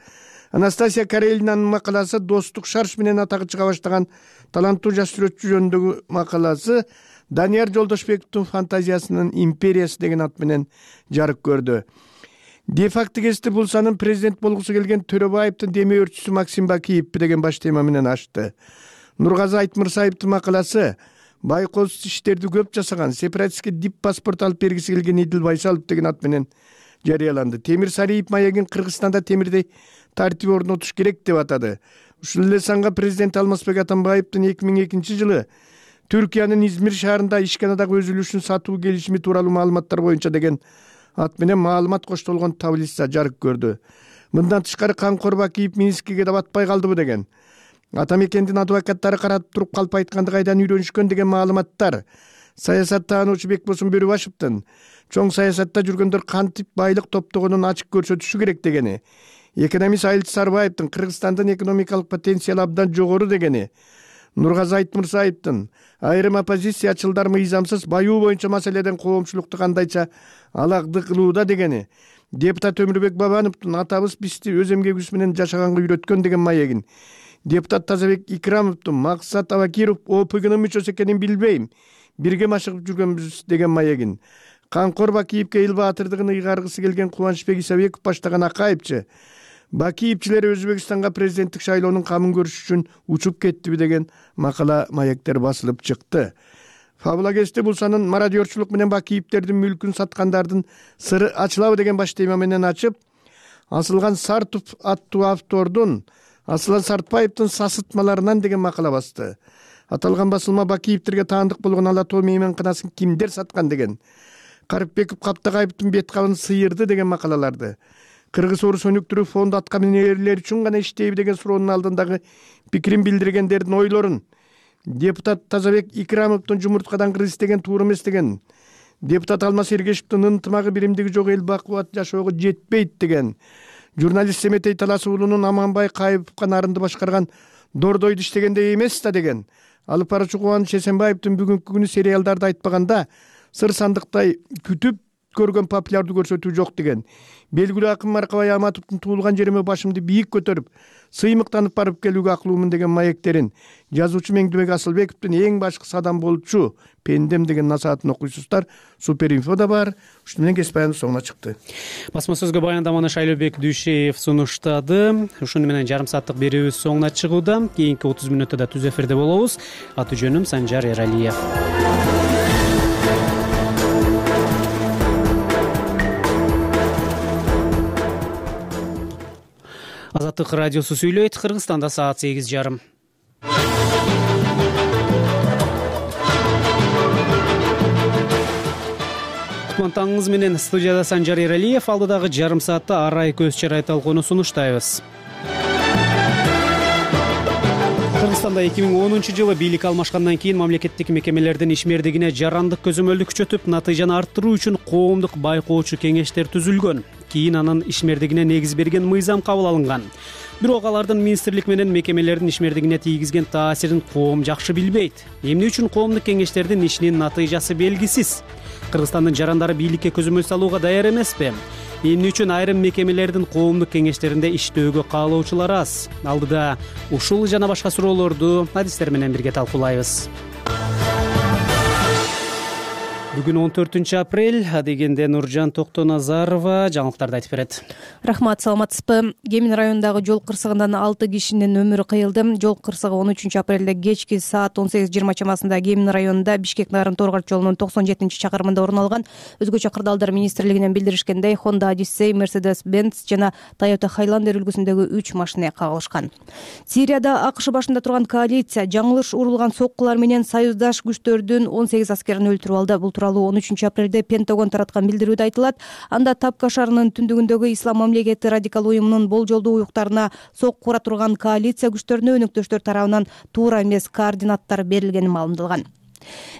Анастасия Карелинанын макаласы достук шарш менен атагы чыга баштаган таланттуу жаш сүрөтчү жөнүндөгү макаласы Данияр Жолдошбековдун фантазиясынын империясы деген ат менен жарык көрдү. Де-факто гезити Булсанын президент болгусу келген Төрөбаевдин деме өрчүсү Максим Бакиев деген баш тема менен ачты. Нургазы Айтмырсаевдин макаласы байкоосуз иштерди көп жасаган, сепаратистке дип паспорт алып бергиси келген Эдил Байсалов деген ат менен жарыяланды. Темир Сариев маегин Кыргызстанда темирдей тартип орнотуш керек деп атады. Ушул эле санга президент Алмазбек Атамбаевдин эки миң экинчи жылы Түркиянын Измир шаарында ишканадагы өзүлүшүн сатуу келишими тууралуу маалыматтар боюнча деген ат менен маалымат коштолгон таблица жарык көрдү. Мындан тышкары Камкор Бакиев Минскиге да батпай калдыбы деген, Атамекендин адвокаттары каратып туруп калп айтканды кайдан үйрөнүшкөн деген маалыматтар, саясаттаануучу Бекбосун Бөрүбашевдин чоң саясатта жүргөндөр кантип байлык топтогонун ачык көрсөтүшү керек дегени, экономист Айыл Сарбаевдин Кыргызстандын экономикалык потенциалы абдан жогору дегени, Нургазы Айтмырсаевдин айрым оппозициячылдар мыйзамсыз баюу боюнча маселеден коомчулукту кандайча алагды кылууда дегени, депутат Өмүрбек Бабановдун атабыз бизди өз эмгегибиз менен жашаганга үйрөткөн деген маегин, депутат Тазабек Икрамовдун Максат Абакиров ОПГнын мүчөсү экенин билбейм, бирге машыгып жүргөнбүз деген маегин, Камкор Бакиевке эл баатырдыгын ыйгаргысы келген Кубанычбек Исабеков баштаган Акаевчи Бакиевчилер Өзбекстанга президенттик шайлоонун камын көрүш үчүн учуп кеттиби деген макала маектер басылып чыкты. Фабула гезити Булсанын мародерчулук менен Бакиевтердин мүлкүн саткандардын сыры ачылабы деген баш тема менен ачып, Асылган Сартов аттуу автордун Асылан Сартбаевдин сасытмаларынан деген макала басты. Аталган басылма Бакиевтерге таандык болгон ала тоо мейманканасын кимдер саткан деген, Карыпбеков Каптагаевдин бет кабын сыйырды деген макалаларды, Кыргыз Орус өнүктүрүү фонду аткаминерлер үчүн гана иштейби деген суроонун алдындагы пикирин билдиргендердин ойлорун, депутат Тазабек Икрамовдун жумурткадан кыргыз деген туура эмес деген, депутат Алмаз Эргешевдин ынтымагы биримдиги жок эл бакубат жашоого жетпейт деген, журналист Семетей Талас уулунун Аманбай Кайыповго нарынды башкарган Дордойду иштегендей эмес да деген, алып баруучу Кубаныч Эсенбаевдин бүгүнкү күнү сериалдарды айтпаганда сыр сандыктай күтүп көргөн популярдуу көрсөтүү жок деген, белгилүү акын Маркабай Аматовдун туулган жериме башымды бийик көтөрүп сыймыктанып барып келүүгө аклуумун деген маектерин, жазуучу Меңдүбек Асылбековдун эң башкысы адам болчу пендем деген насаатын окуйсуздар. Суперинфода бар. Ушуну менен кесип баяныбыз соңуна чыкты. Басма сөзгө баяндаманы Шайлообек Дүйшеев сунуштады. Ушуну менен жарым сааттык берүүбүз соңуна чыгууда. Кийинки отуз мүнөттө да түз эфирде болобуз. Аты жөнүм Санжар Эралиев. Азаттык радиосу сүйлөйт. Кыргызстанда саат сегиз жарым. Кутман менен студияда Санжар Эралиев. Алдыдагы жарым саатта арай көз чарай талкууну сунуштайбыз. Кыргызстанда эки миң онунчу жылы бийлик алмашкандан кийин мамлекеттик мекемелердин ишмердигине жарандык көзөмөлдү күчөтүп, натыйжаны арттыруу үчүн коомдук байкоочу кеңештер түзүлгөн. Кийин анын ишмердигине негиз берген мыйзам кабыл алынган. Бирок алардын министрлик менен мекемелердин ишмердигине тийгизген таасирин коом жакшы билбейт. Эмне үчүн коомдук кеңештердин ишинин натыйжасы белгисиз? Кыргызстандын жарандары бийликке көзөмөл салууга даяр эмеспи? Эмне үчүн айрым мекемелердин коомдук кеңештеринде иштөөгө каалоочулар аз? Алдыда ушул жана башка суроолорду адистер менен бирге талкуулайбыз. Бүгүн он төртүнчү апрель, дегенде Нуржан Токтоназарова жаңылыктарды айтып берет. Рахмат, саламатсызбы? Кемин районундагы жол кырсыгынан алты кишинин өмүрү кыйылды. Жол кырсыгы он үчүнчү апрелде кечки саат он сегиз жыйырма чамасында Кемин районунда Бишкек Нарын Торгорт жолунун токсон жетинчи чакырымында орун алган. Өзгөчө кырдаалдар министрлигинен билдиришкендей, Honda Odyssey, Mercedes-Benz жана Toyota Highlander үлгүсүндөгү үч машина кагылышкан. Сирияда АКШ башында турган коалиция жаңылыш урулган соккулар менен союздаш күчтөрдүн он сегиз аскерин өлтүрүп алды. Бул тууралуу он үчүнчү апрелде Пентагон тараткан билдирүүдө айтылат. Анда Тапка шаарынын түндүгүндөгү Ислам мамлекети радикал уюмунун болжолдуу уюктарына сокку ура турган коалиция күчтөрүнө өнөктөштөр тарабынан туура эмес координаттар берилгени маалымдалган.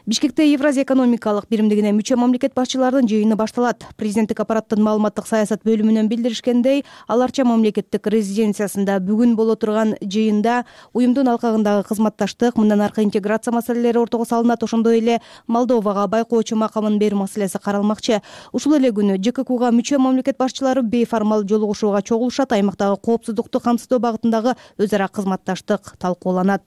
Бишкекте Евразия экономикалык биримдигине мүчө мамлекет башчыларынын жыйыны башталат. Президенттик аппараттын маалыматтык саясат бөлүмүнөн билдиришкендей, аларча мамлекеттик резиденциясында бүгүн боло турган жыйында уюмдун алкагындагы кызматташтык, мындан аркы интеграция маселелери ортого салынат. Ошондой эле Молдовага байкоочу макамын берүү маселеси каралмакчы. Ушул эле күнү ЖККга мүчө мамлекет башчылары бейформал жолугушууга чогулушат. Аймактагы коопсуздукту камсыздоо багытындагы өз ара кызматташтык талкууланат.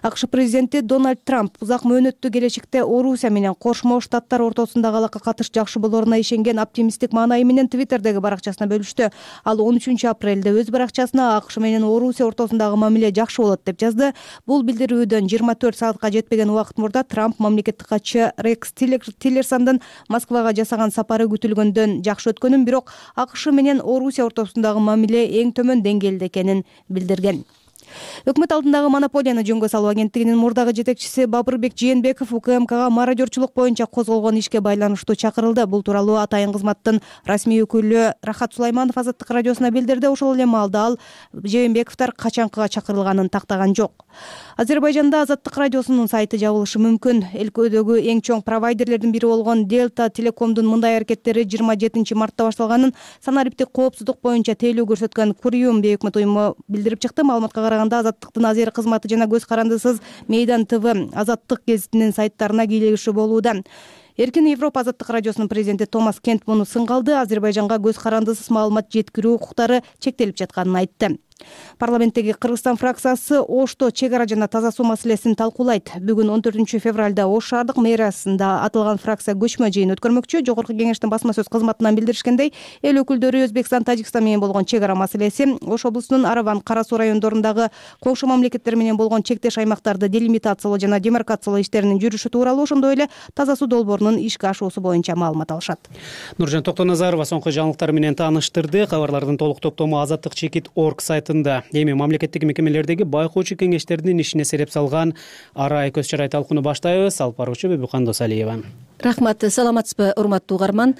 АКШ президенти Дональд Трамп узак мөөнөттүү келечекте Орусия менен Кошмо Штаттар ортосундагы алака катыш жакшы болоруна ишенген оптимисттик маанайы менен Твиттердеги баракчасына бөлүштү. Ал он үчүнчү апрелде өз баракчасына АКШ менен Орусия ортосундагы мамиле жакшы болот деп жазды. Бул билдирүүдөн жыйырма төрт саатка жетпеген убакыт мурда Трамп мамлекеттик катчы Рекс Тиллерсондун Москвага жасаган сапары күтүлгөндөн жакшы өткөнүн, бирок АКШ менен Орусия ортосундагы мамиле эң төмөн деңгээлде экенин билдирген. Өкмөт алдындагы монополияны жөнгө салуу агенттигинин мурдагы жетекчиси Бабырбек Жээнбеков УКМКга мародерчулук боюнча козголгон ишке байланыштуу чакырылды. Бул тууралуу Атайын кызматтын расмий өкүлү Рахат Сулайманов Азаттык радиосуна билдирди. Ошол эле маалда ал Жээнбековдор качанкыга чакырылганын тактаган жок. Азербайжанда Азаттык радиосунун сайты жабылышы мүмкүн. Өлкөдөгү эң чоң провайдерлердин бири болгон Delta Telecomдун мындай аракеттери жыйырма жетинчи мартта башталганын санариптик коопсуздук боюнча тейлөө көрсөткөн Куриум бейөкмөт уюму билдирип чыкты. Маалыматка караганда Азаттыктын Азер кызматы жана көз карандысыз Мейдан ТВ Азаттык гезитинин сайттарына кийлегиши болууда. Эркин Европа Азаттык радиосунун президенти Томас Кент муну сынгалды. Азербайжанга көз карандысыз маалымат жеткирүү укуктары чектелип жатканын айтты. Парламенттеги Кыргызстан фракциясы Ошто чек ара жана таза суу маселесин талкуулайт. Бүгүн он төртүнчү февралда Ош шаардык мэриясында аталган фракция көчмө жыйын өткөрмөкчү. Жогорку кеңештин басма сөз кызматынан билдиришкендей, эл өкүлдөрү Өзбекстан, Тажикстан менен болгон чек ара маселеси, Ош облусунун Араван, Кара Суу райондорундагы коңшу мамлекеттер менен болгон чектеш аймактарды делимитациялоо жана демаркациялоо иштеринин жүрүшү тууралуу, ошондой эле таза суу долбоорунун ишке ашуусу боюнча маалымат алышат. Нуржан Токтоназарова соңку жаңылыктар менен тааныштырды. Кабарлардын толук топтому азаттык чекит точка орг сайтында. Эми мамлекеттик мекемелердеги байкоочу кеңештердин ишине сереп салган арай көз чарай талкууну баштайбыз. Алып баруучу Бибикан Досалиева. Рахмат, саламатсызбы, урматтуу угарман.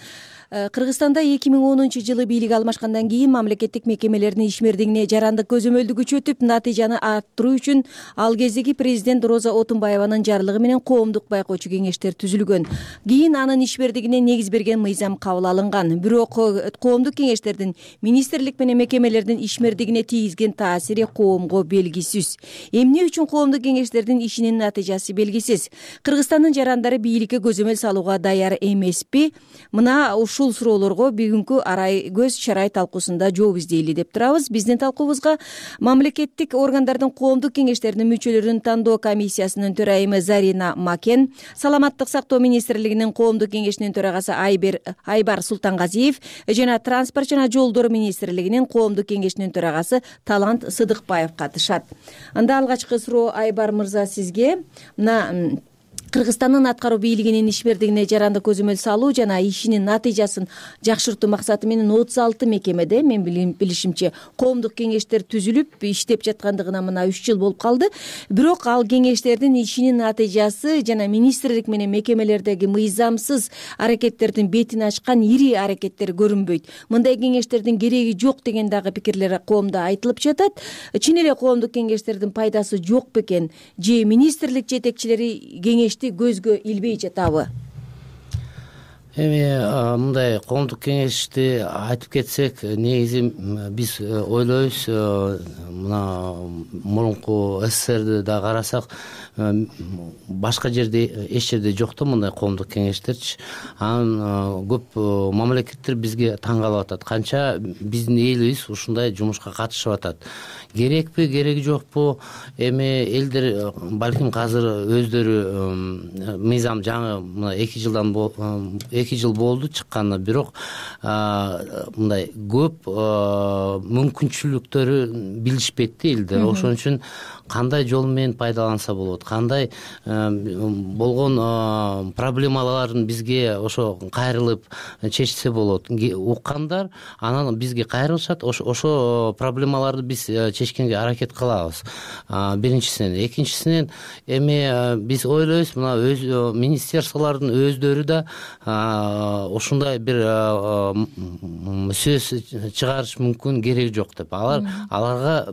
Кыргызстанда эки миң онунчу жылы бийлик алмашкандан кийин мамлекеттик мекемелердин ишмердигине жарандык көзөмөлдү күчөтүп, натыйжаны арттыруу үчүн ал кездеги президент Роза Отунбаеванын жарлыгы менен коомдук байкоочу кеңештер түзүлгөн. Кийин анын ишмердигине негиз берген мыйзам кабыл алынган. Бирок коомдук кеңештердин министрлик менен мекемелердин ишмердигине тийгизген таасири коомго белгисиз. Эмне үчүн коомдук кеңештердин ишинин натыйжасы белгисиз? Кыргызстандын жарандары бийликке көзөмөл салууга даяр эмеспи? Мына ушул суроолорго бүгүнкү арай көз чарай талкуусунда жооп издейли деп турабыз. Биздин талкуубузга мамлекеттик органдардын коомдук кеңештеринин мүчөлөрүн тандоо комиссиясынын төрайымы Зарина Макен, саламаттык сактоо министрлигинин коомдук кеңешинин төрагасы Айбер Айбар Султангазиев жана транспорт жана жолдор министрлигинин коомдук кеңешинин төрагасы Талант Сыдыкбаев катышат. Анда алгачкы суроо Айбар мырза сизге. Мына Кыргызстандын аткаруу бийлигинин ишмердигине жарандык көзөмөл салуу жана ишинин натыйжасын жакшыртуу максаты менен отуз алты мекемеде, мен билишимче, коомдук кеңештер түзүлүп иштеп жаткандыгына мына үч жыл болуп калды. Бирок ал кеңештердин ишинин натыйжасы жана министрлик менен мекемелердеги мыйзамсыз аракеттердин бетин ачкан ири аракеттер көрүнбөйт. Мындай кеңештердин кереги жок деген дагы пикирлер коомдо айтылып жатат. Чын эле коомдук кеңештердин пайдасы жок бекен? Же министрлик жетекчилери кеңеш көзгө илбей жатабы? Эми мындай коомдук кеңешти айтып кетсек, негизи биз ойлойбуз, мына мурунку СССРди да карасак, башка жерде эч жерде жок да мындай коомдук кеңештерчи. Анан көп мамлекеттер бизге таң калып атат. Канча биздин элибиз ушундай жумушка катышып атат. Керекпи, кереги жокпу? Эми элдер балким азыр өздөрү мыйзам жаңы мына эки жылдан эки жыл болду чыкканы, бирок мындай көп мүмкүнчүлүктөрү билишпейт да элдер. Ошон үчүн кандай жол менен пайдаланса болот, кандай болгон проблемаларын бизге ошо кайрылып чечсе болот. Уккандар анан бизге кайрылышат, ошо проблемаларды биз чечкенге аракет кылабыз. Биринчисинен, экинчисинен эми биз ойлойбуз, мына өз министерстволордун өздөрү да ушундай бир сөз чыгарыш мүмкүн, кереги жок деп. Алар аларга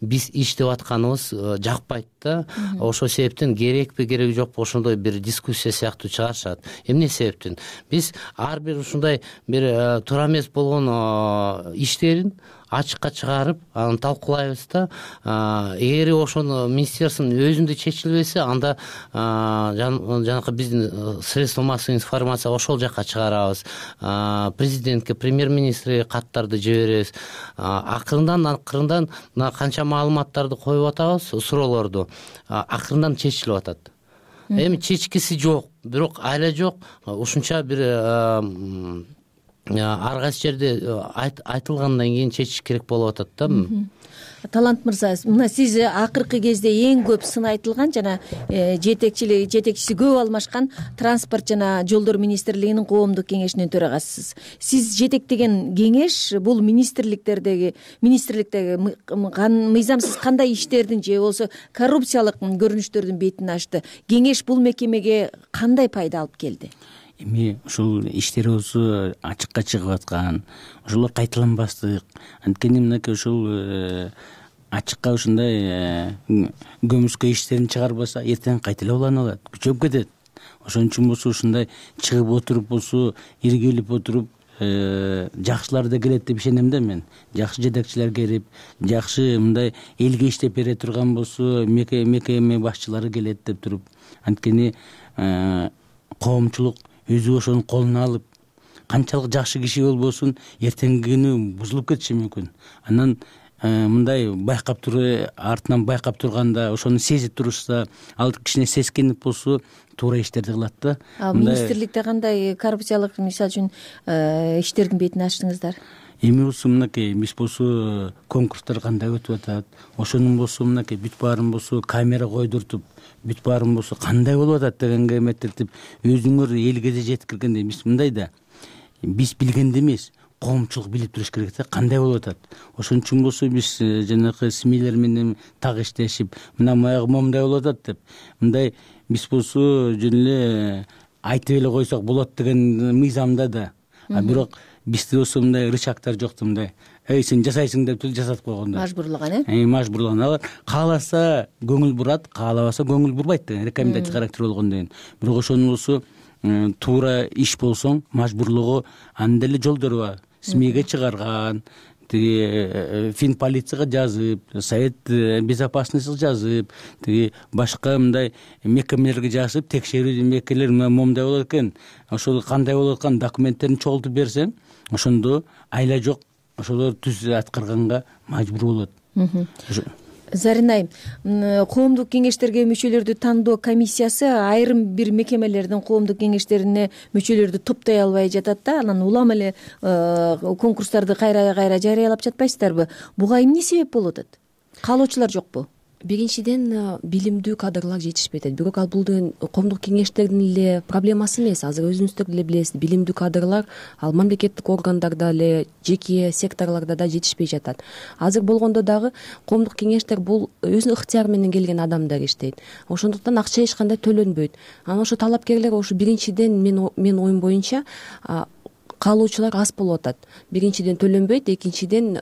биз иштеп атканыбыз жакпайт да. Ошол себептен керекпи, кереги жокпу ошондой бир дискуссия сыяктуу чыгарышат. Эмне себептен? Биз ар бир ушундай бир туура эмес болгон иштерин ачыкка чыгарып, аны талкуулайбыз да. Эгер ошону министерствонун өзүндө чечилбесе, анда жанакы биздин средства массовой информация ошол жака чыгарабыз. Президентке, премьер-министрге каттарды жиберебиз. Акырындан акырындан мына канча маалыматтарды коюп атабыз, суроолорду. Акырындан чечилип атат. Эми чечкиси жок, бирок айла жок, ушунча бир ар кайсы жерде айтылгандан кийин чечиш керек болуп атат да. Талант мырза, мына сиз акыркы кезде эң көп сын айтылган жана жетекчилиги жетекчиси көп алмашкан транспорт жана жолдор министрлигинин коомдук кеңешинин төрагасысыз. Сиз жетектеген кеңеш бул министрликтердеги министрликтеги мыйзамсыз кандай иштердин же болбосо коррупциялык көрүнүштөрдүн бетин ачты? Кеңеш бул мекемеге кандай пайда алып келди? Эми ушул иштерибиз ачыкка чыгып аткан, ошолор кайталанбастык. Анткени мынакей ушул ачыкка ушундай көмүскө иштерин чыгарбаса, эртең кайта эле уланып алат, күчөп кетет. Ошон үчүн болсо ушундай чыгып отуруп болсо, иргилип отуруп жакшылар да келет деп ишенем да мен. Жакшы жетекчилер келип, жакшы мындай элге иштеп бере турган болсо, мекеме башчылары келет деп туруп. Анткени коомчулук өзү ошону колуна алып, канчалык жакшы киши болбосун, эртеңки күнү бузулуп кетиши мүмкүн. Анан мындай байкап туруп, артынан байкап турганда, ошону сезип турушса, ал кичине сескенип болсо, туура иштерди кылат да. Министрликте кандай коррупциялык, мисалы үчүн, иштердин бетин ачтыңыздар? Эми болсо мынакей биз болсо конкурстар кандай өтүп атат, ошонун болсо мынакей бүт баарын болсо камера койдуртуп, бүт баарын болсо кандай болуп атат дегенге эметиртип, өзүңөр элге да жеткиргенде биз мындай да, биз билгенде эмес, коомчулук билип туруш керек да, кандай болуп атат. Ошон үчүн болсо биз жанакы СМИлер менен так иштешип, мына маягы момундай болуп атат деп, мындай биз болсо жөн эле айтып эле койсок болот деген мыйзамда да а бирок бизде болсо мындай рычагдар жок да, мындай эй сен жасайсың деп жасатып койгондор, мажбурлаган э мажбурлаган. Алар кааласа көңүл бурат, каалабаса көңүл бурбайт деген рекомендация характер болгондон кийин. Бирок ошонусу туура иш болсоң мажбурлоого анын деле жолдору бар. СМИге чыгарган, тиги фин полицияга жазып, совет безопасностьга жазып, тиги башка мындай мекемелерге жазып, текшерүү мекемелер момундай болот экен, ошол кандай болуп аткан документтерин чогултуп берсең, ошондо айла жок, ошолор түз аткарганга мажбур болот. Зарина айым, коомдук кеңештерге мүчөлөрдү тандоо комиссиясы айрым бир мекемелердин коомдук кеңештерине мүчөлөрдү топтой албай жатат да, анан улам эле конкурстарды кайра кайра жарыялап жатпайсыздарбы? Буга эмне себеп болуп атат? Каалоочулар жокпу? Биринчиден билимдүү кадрлар жетишпей атат. Бирок ал бул коомдук кеңештердин эле проблемасы эмес. Азыр өзүңүздөр деле билесиз, билимдүү кадрлар ал мамлекеттик органдарда эле, жеке секторлордо да жетишпей жатат. Азыр болгондо дагы коомдук кеңештер бул өзүнүн ыктыяры менен келген адамдар иштейт. Ошондуктан акча эч кандай төлөнбөйт. Анан ошо талапкерлер ошо биринчиден мен мен оюм боюнча каалоочулар аз болуп атат. Биринчиден төлөнбөйт, экинчиден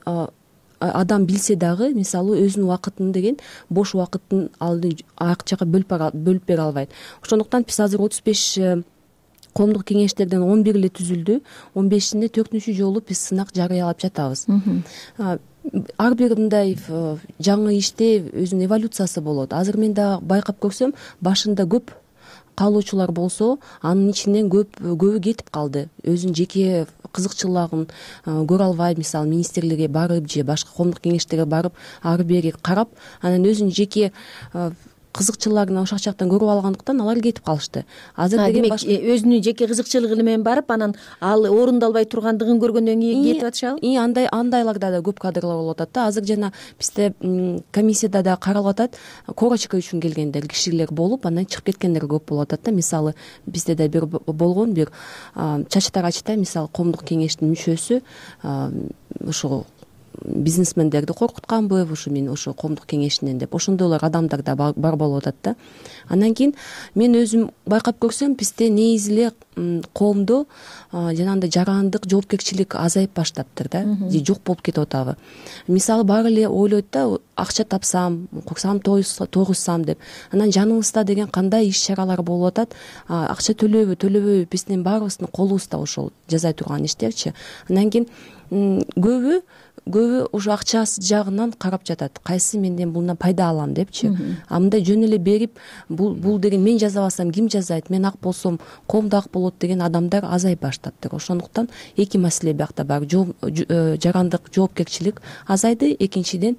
адам билсе дагы, мисалы өзүнүн убакытын деген бош убакытын алды акчага бөлүп бере албайт. Ошондуктан биз азыр отуз беш коомдук кеңештерден он бир эле түзүлдү, он бешинде төртүнчү жолу биз сынак жарыялап жатабыз. Ар бир мындай жаңы иште өзүнүн эволюциясы болот. Азыр мен да байкап көрсөм, башында көп каалоочулар болсо, анын ичинен көп көбү кетип калды. Өзүнүн жеке кызыкчылыгын көрө албай, мисалы министрликке барып же башка коомдук кеңештерге барып, ары бери карап, анан өзүнүн жеке кызыкчылыгын ошол жактан көрүп алгандыктан алар кетип калышты. Азыр деген өзүнүн жеке кызыкчылыгы менен барып, анан ал орундалбай тургандыгын көргөндөн кийин кетип атышабы? И андай андайларда да көп кадрлар болуп атат да. Азыр жана бизде комиссияда да каралып атат, корочка үчүн келгендер кишилер болуп, анан чыгып кеткендер көп болуп атат да. Мисалы бизде да бир болгон бир Чачтар Ачтай, мисалы коомдук кеңештин мүчөсү ошо бизнесмендерди коркутканбы, ушу мен ошо коомдук кеңешинен деп, ошондойлор адамдар да бар болуп атат да. Андан кийин мен өзүм байкап көрсөм, бизде негизи эле коомдо жанагындай жарандык, жоопкерчилик азайып баштаптыр да, же жок болуп кетип атабы. Мисалы баары эле ойлойт да, акча тапсам, курсам тойгузсам деп. Анан жаныбызда деген кандай иш чаралар болуп атат, акча төлөбү, төлөбөбү, биздин баарыбыздын колубузда ошол жасай турган иштерчи. Андан кийин көбү көбү ушу акчасы жагынан карап жатат. Кайсы менден булдан пайда алам депчи. А мындай жөн эле берип, бул бул деген мен жазабасам ким жазайт, мен ак болсом коомдо ак болот деген адамдар азайып баштаптыр. Ошондуктан эки маселе биякта бар. Жарандык, жоопкерчилик азайды. Экинчиден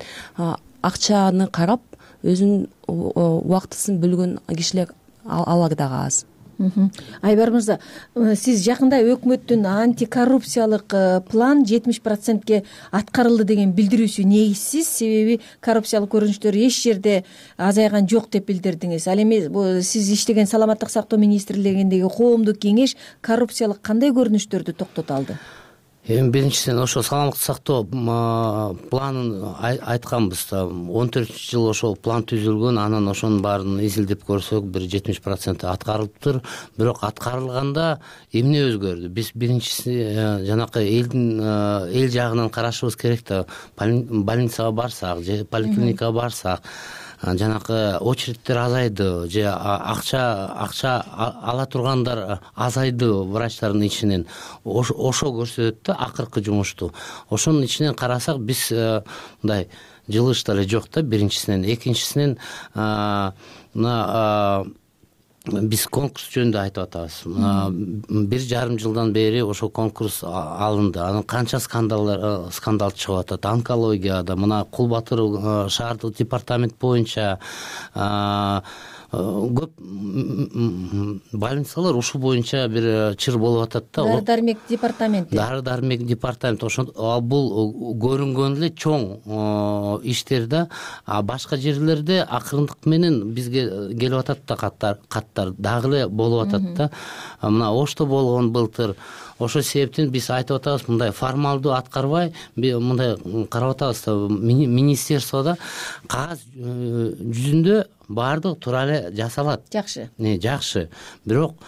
акчаны карап, өзүнүн убактысын бөлгөн кишилер алар дагы аз. Айбар мырза, сиз жакында өкмөттүн антикоррупциялык план жетимиш процентке аткарылды деген билдирүүсү негизсиз, себеби коррупциялык көрүнүштөр эч жерде азайган жок деп билдирдиңиз. Ал эми сиз иштеген саламаттык сактоо министрлигиндеги коомдук кеңеш коррупциялык кандай көрүнүштөрдү токтото алды? Эми биринчиден ошо саламаттык сактоо планын айтканбыз да. он төртүнчү жылы ошол план түзүлгөн, анан ошонун баарын изилдеп көрсөк, бир жетимиш процент аткарылыптыр. Бирок аткарылганда эмне өзгөрдү? Биз биринчиси жанакы элдин эл жагынан карашыбыз керек да. Больницага барсак же поликлиникага барсак, жанакы очередтер азайды же акча акча ала тургандар азайды врачтардын ичинен. Ошо көрсөтөт да акыркы жумушту. Ошонун ичинен карасак, биз мындай жылыш деле жок да, биринчисинен. Экинчисинен мына биз конкурс жөнүндө айтып атабыз. Бир жарым жылдан бери ошол конкурс алынды. Анан канча скандалдар скандал чыгып атат. Онкологияда, мына Кул Батыр шаардык департамент боюнча көп больницалар ушул боюнча бир чыр болуп атат да. Дары дармек департаменти. Дары дармек департамент. Ошон бул көрүнгөн эле чоң иштер да. А башка жерлерде акырындык менен бизге келип атат да каттар, каттар дагы эле болуп атат да. Мына Ошто болгон былтыр. Ошол себептен биз айтып атабыз, мындай формалдуу аткарбай, мындай карап атабыз да, министерстводо кагаз жүзүндө баардык туура эле жасалат. Жакшы. Не, жакшы. Бирок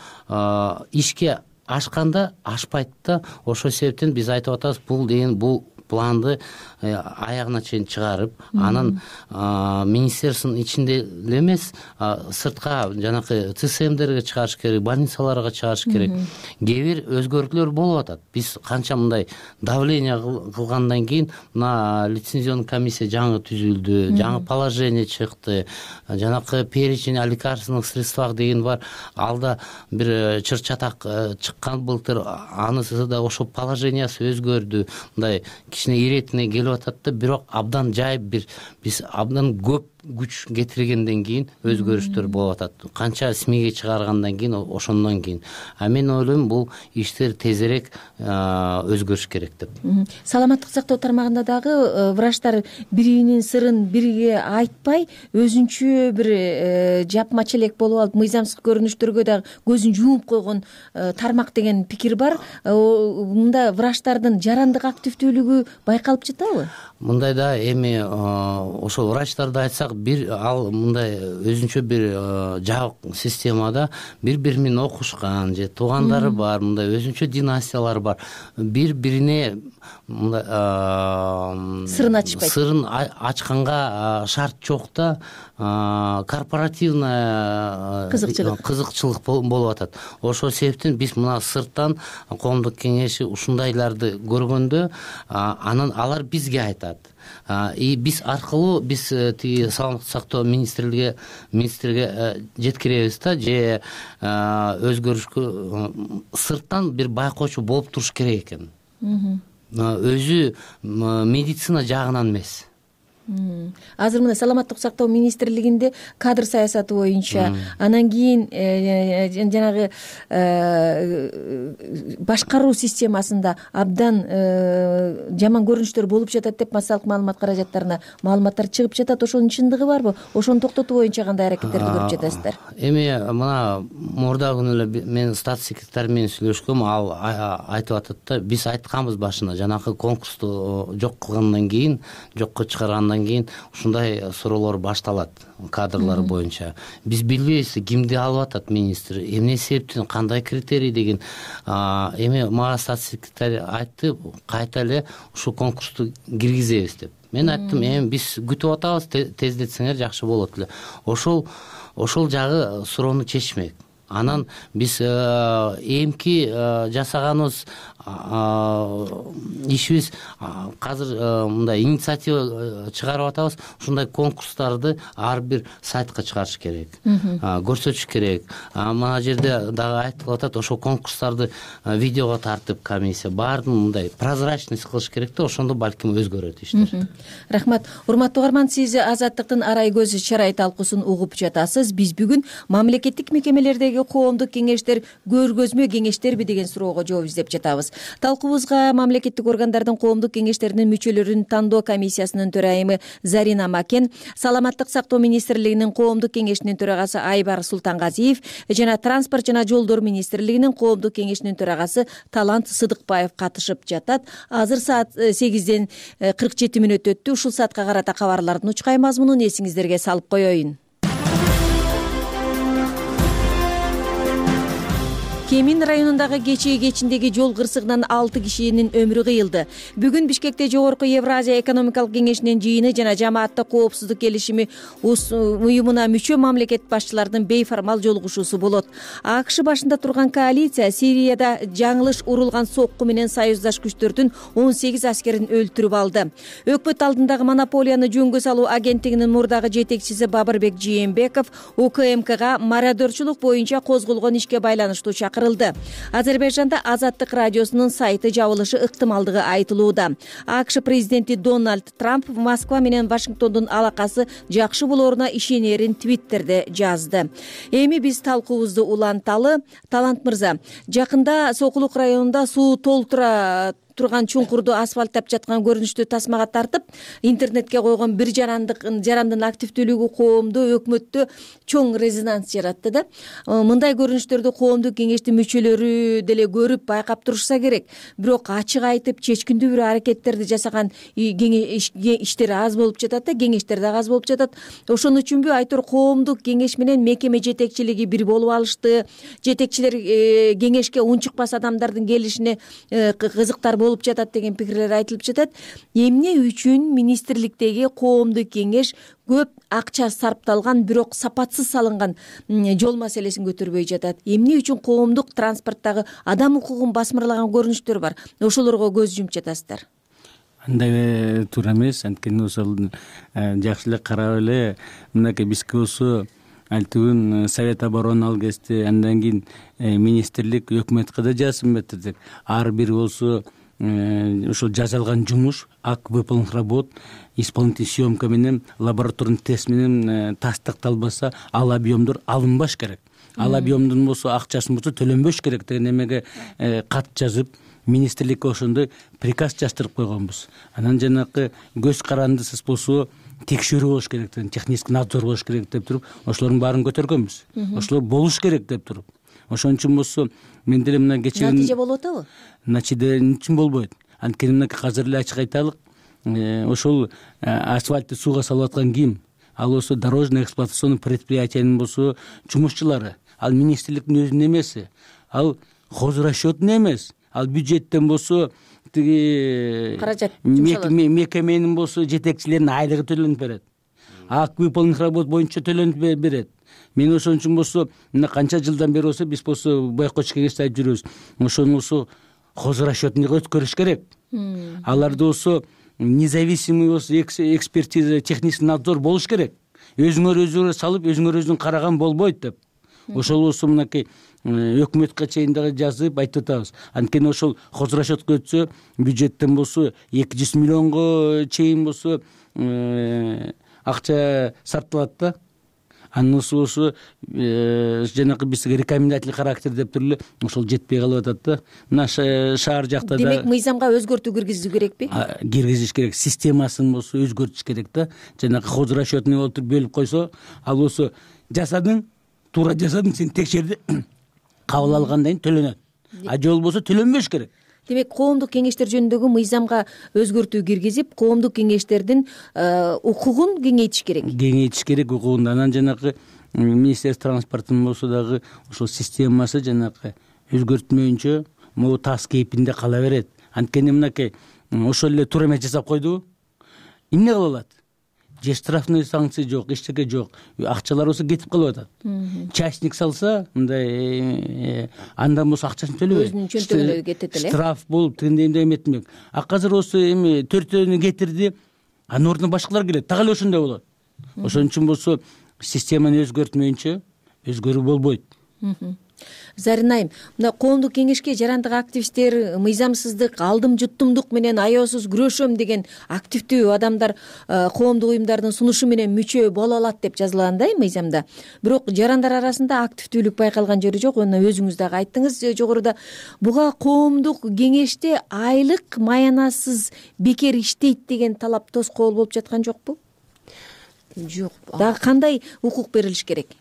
ишке ашканда ашпайт да. Ошол себептен биз айтып атабыз, бул деген бул планды аягына чейин чыгарып, анан министерствонун ичинде эле эмес, сыртка жанакы ЦСМдерге чыгарыш керек, больницаларга чыгарыш керек. Кээ бир өзгөртүүлөр болуп атат. Биз канча мындай давление кылгандан кийин мына лицензионный комиссия жаңы түзүлдү, жаңы положение чыкты, жанакы перечень о лекарственных средствах деген бар. Алда бир чыр чатак чыккан былтыр, анысы да ошол положениясы өзгөрдү. Мындай кичине иретине келип атат да, бирок абдан жайып бир биз абдан көп күч кетиргенден кийин өзгөрүштөр болуп атат. Канча СМИге чыгаргандан кийин, ошондон кийин. А мен ойлойм, бул иштер тезирээк өзгөрүш керек деп. Саламаттык сактоо тармагында дагы врачтар биринин сырын бириге айтпай, өзүнчө бир жапмача элек болуп алып, мыйзамсыз көрүнүштөргө дагы көзүн жумуп койгон тармак деген пикир бар. Мында врачтардын жарандык активдүүлүгү байкалып жатабы? Мындай да, эми ошол врачтарды айтсак, бир ал мындай өзүнчө бир жабык системада бири-бири менен окушкан же туугандары бар, мындай өзүнчө династиялар бар. Бири-бирине мындай сырын ачпайт. Сырын ачканга шарт жок да, корпоративный кызыкчылык болуп атат. Ошол себептен биз мына сырттан коомдук кеңеши ушундайларды көргөндө, анан алар бизге айтат. И биз аркылуу биз тиги саламаттык сактоо министрлиги министрге жеткиребиз да, же өзгөрүшкө сырттан бир байкоочу болуп туруш керек экен. Өзү медицина жагынан эмес. Азыр мына саламаттык сактоо министрлигинде кадр саясаты боюнча, анан кийин жанагы башкаруу системасында абдан жаман көрүнүштөр болуп жатат деп массалык маалымат каражаттарына маалыматтар чыгып жатат. Ошонун чындыгы барбы? Ошону токтотуу боюнча кандай аракеттерди көрүп жатасыздар? Эми мына мурдагы күнү эле мен статс секретарь менен сүйлөшкөм, ал айтып атат да, биз айтканбыз башына, жанакы конкурсту жок кылгандан кийин, жокко чыгаргандан кийин ушундай суроолор башталат кадрлар боюнча. Биз билбейбиз кимди алып атат министр, эмне себептен, кандай критерий деген. Эми мага статс секретарь айтты, кайта эле ушул конкурсту киргизебиз деп. Мен айттым, эми биз күтүп атабыз, тездетсеңер жакшы болот эле. Ошол ошол жагы суроону чечмек. Анан биз эмки жасаганыбыз ишибиз азыр мындай инициатива чыгарып атабыз. Ушундай конкурстарды ар бир сайтка чыгарыш керек, көрсөтүш керек. Мына жерде дагы айтылып атат, ошол конкурстарды видеого тартып комиссия баарын мындай прозрачность кылыш керек да, ошондо балким өзгөрөт иштер. Рахмат. Урматтуу угарман, сиз Азаттыктын арай көзү чарай талкуусун угуп жатасыз. Биз бүгүн мамлекеттик мекемелердеги коомдук кеңештер көргөзмө кеңештерби деген суроого жооп издеп жатабыз. Талкуубузга мамлекеттик органдардын коомдук кеңештеринин мүчөлөрүн тандоо комиссиясынын төрайымы Зарина Макен, саламаттык сактоо министрлигинин коомдук кеңешинин төрагасы Айбар Султангазиев жана транспорт жана жолдор министрлигинин коомдук кеңешинин төрагасы Талант Сыдыкбаев катышып жатат. Азыр саат сегизден кырк жети мүнөт өттү. Ушул саатка карата кабарлардын учкай мазмунун эсиңиздерге салып коеюн. Кемин районундагы Кечээ кечиндеги жол кырсыгынан алты кишинин өмүрү кыйылды. Бүгүн Бишкекте Жогорку Евразия экономикалык кеңешинин жыйыны жана жамааттык коопсуздук келишими уюмуна мүчө мамлекет башчыларынын бейформал жолугушуусу болот. АКШ башында турган коалиция Сирияда жаңылыш урулган сокку менен союздаш күчтөрдүн он сегиз аскерин өлтүрүп алды. Өкмөт алдындагы монополияны жөнгө салуу агенттигинин мурдагы жетекчиси Бабырбек Жээнбеков УКМКга мародерчулук боюнча козголгон ишке байланыштуу чакырды. Азербайжанда Азаттык радиосунун сайты жабылышы ыктымалдыгы айтылууда. АКШ президенти Дональд Трамп Москва менен Вашингтондун алакасы жакшы болоруна ишенерин Твиттерде жазды. Эми биз талкуубузду уланталы. Талант мырза, жакында Сокулук районунда суу толтура турган чуңкурду асфальттап жаткан көрүнүштү тасмага тартып интернетке койгон бир жарандык жарандын активдүүлүгү коомдо өкмөттө чоң резонанс жаратты да. Мындай көрүнүштөрдү коомдук кеңештин мүчөлөрү деле көрүп байкап турушса керек. Бирок ачык айтып чечкиндүү бир аракеттерди жасаган иштер аз болуп жатат да, кеңештер да аз болуп жатат. Ошон үчүнбү айтор коомдук кеңеш менен мекеме жетекчилиги бир болуп алышты. Жетекчилер кеңешке унчукпас адамдардын келишине кызыктар болуп жатат деген пикирлер айтылып жатат. Эмне үчүн министрликтеги коомдук кеңеш көп акча сарпталган, бирок сапатсыз салынган жол маселесин көтөрбөй жатат? Эмне үчүн коомдук транспорттагы адам укугун басмырлаган көрүнүштөр бар? Ошолорго көз жумуп жатасыздар. Андай туура эмес. Анткени ошол жакшы эле карап эле мынакей бизге болсо альтыбын Совет обороны ал кезде, андан кийин министрлик өкмөткө да жазым бердик. Ар бир болсо ошол жасалган жумуш, акт выполненных работ, исполнительный съемка менен, лабораторный тест менен тастыкталбаса, ал объемдор алынбаш керек. Ал объемдун болсо акчасын болсо төлөнбөш керек деген эмеге кат жазып, министрликке ошондой приказ жаздырып койгонбуз. Анан жанакы көз карандысыз болсо текшерүү болуш керек деген, технический надзор болуш керек деп туруп, ошолордун баарын көтөргөнбүз. Ошолор болуш керек деп туруп. Ошон үчүн болсо мен деле мына кечээ натыйжа болуп атабы? Натыйжа үчүн болбойт. Анткени мынакей азыр эле ачык айталык, ошол асфальтты сууга салып аткан ким? Ал болсо дорожно эксплуатационный предприятиянын болсо жумушчулары. Ал министрликтин өзүнүн эмеси. Ал хозрасчётун эмес. Ал бюджеттен болсо тиги каражат мекеменин болсо жетекчилеринин айлыгы төлөнүп берет. Акт выполненных работ боюнча төлөнүп берет. Мен ошон үчүн болсо мына канча жылдан бери болсо биз болсо байкоч кеңеште айтып жүрөбүз. Ошону болсо хозрасчётун өткөрүш керек. Аларды болсо независимый болсо экспертиза, технический надзор болуш керек. Өзүңөр өзүңөр салып, өзүңөр өзүң караган болбойт деп. Ошол болсо мынакей өкмөткө чейин дагы жазып айтып атабыз. Анткени ошол хозрасчётко өтсө, бюджеттен болсо эки жүз миллионго чейин болсо акча сарпталат да. Анысы болсо жанакы бизге рекомендательный характер деп туруп эле ошол жетпей калып атат да. Мына шаар жакта да. Демек мыйзамга өзгөртүү киргизүү керекпи? Киргизиш керек. Системасын болсо өзгөртүш керек да. Жанакы хозрасчётный болуп бөлүп койсо, ал болсо жасадың, туура жасадың, сен текшерди, кабыл алгандан кийин төлөнөт. А же болбосо төлөнбөш керек. Демек коомдук кеңештер жөнүндөгү мыйзамга өзгөртүү киргизип, коомдук кеңештердин укугун кеңейтиш керек. Кеңейтиш керек укугун. Анан жанакы министерство транспортунун болсо дагы ошол системасы жанакы өзгөртмөйүнчө могу тас кейпинде кала берет. Анткени мынакей ошол эле туура эмес жасап койдубу? Эмне кыла алат? Же штрафный санкция жок, эчтеке жок. Акчалар болсо кетип калып атат. Частник салса, мындай андан болсо акчасын төлөбөйт. Өзүнүн чөнтөгүнө кетет эле. Штраф болуп, тигиндей эметмек. А азыр болсо эми төртөөнү кетирди, анын ордуна башкалар келет. Так эле ошондой болот. Ошон үчүн болсо системаны өзгөртмөйүнчө өзгөрүү болбойт. Зарин айым, мына коомдук кеңешке жарандык активисттер мыйзамсыздык, алдым жуттумдук менен аеосуз күрөшөм деген активдүү адамдар коомдук уюмдардын сунушу менен мүчө боло алат деп жазылгандай мыйзамда. Бирок жарандар арасында активдүүлүк байкалган жери жок. Мына өзүңүз дагы айттыңыз жогоруда. Буга коомдук кеңеште айлык маянасыз бекер иштейт деген талап тоскоол болуп жаткан жокпу? Жок. Дагы кандай укук берилиш керек?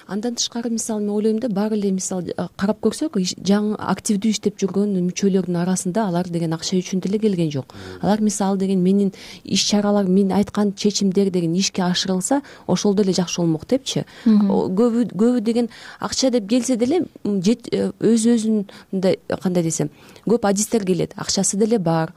Андан тышкары мисалы мен ойлойм да, баары эле мисалы карап көрсөк, жаңы активдүү иштеп жүргөн мүчөлөрдүн арасында алар деген акча үчүн деле келген жок. Алар мисалы деген менин иш чаралар, мен айткан чечимдер деген ишке ашырылса, ошол деле жакшы болмок депчи. Көбү көбү деген акча деп келсе деле өз өзүн мындай кандай десем, көп адистер келет. Акчасы деле бар,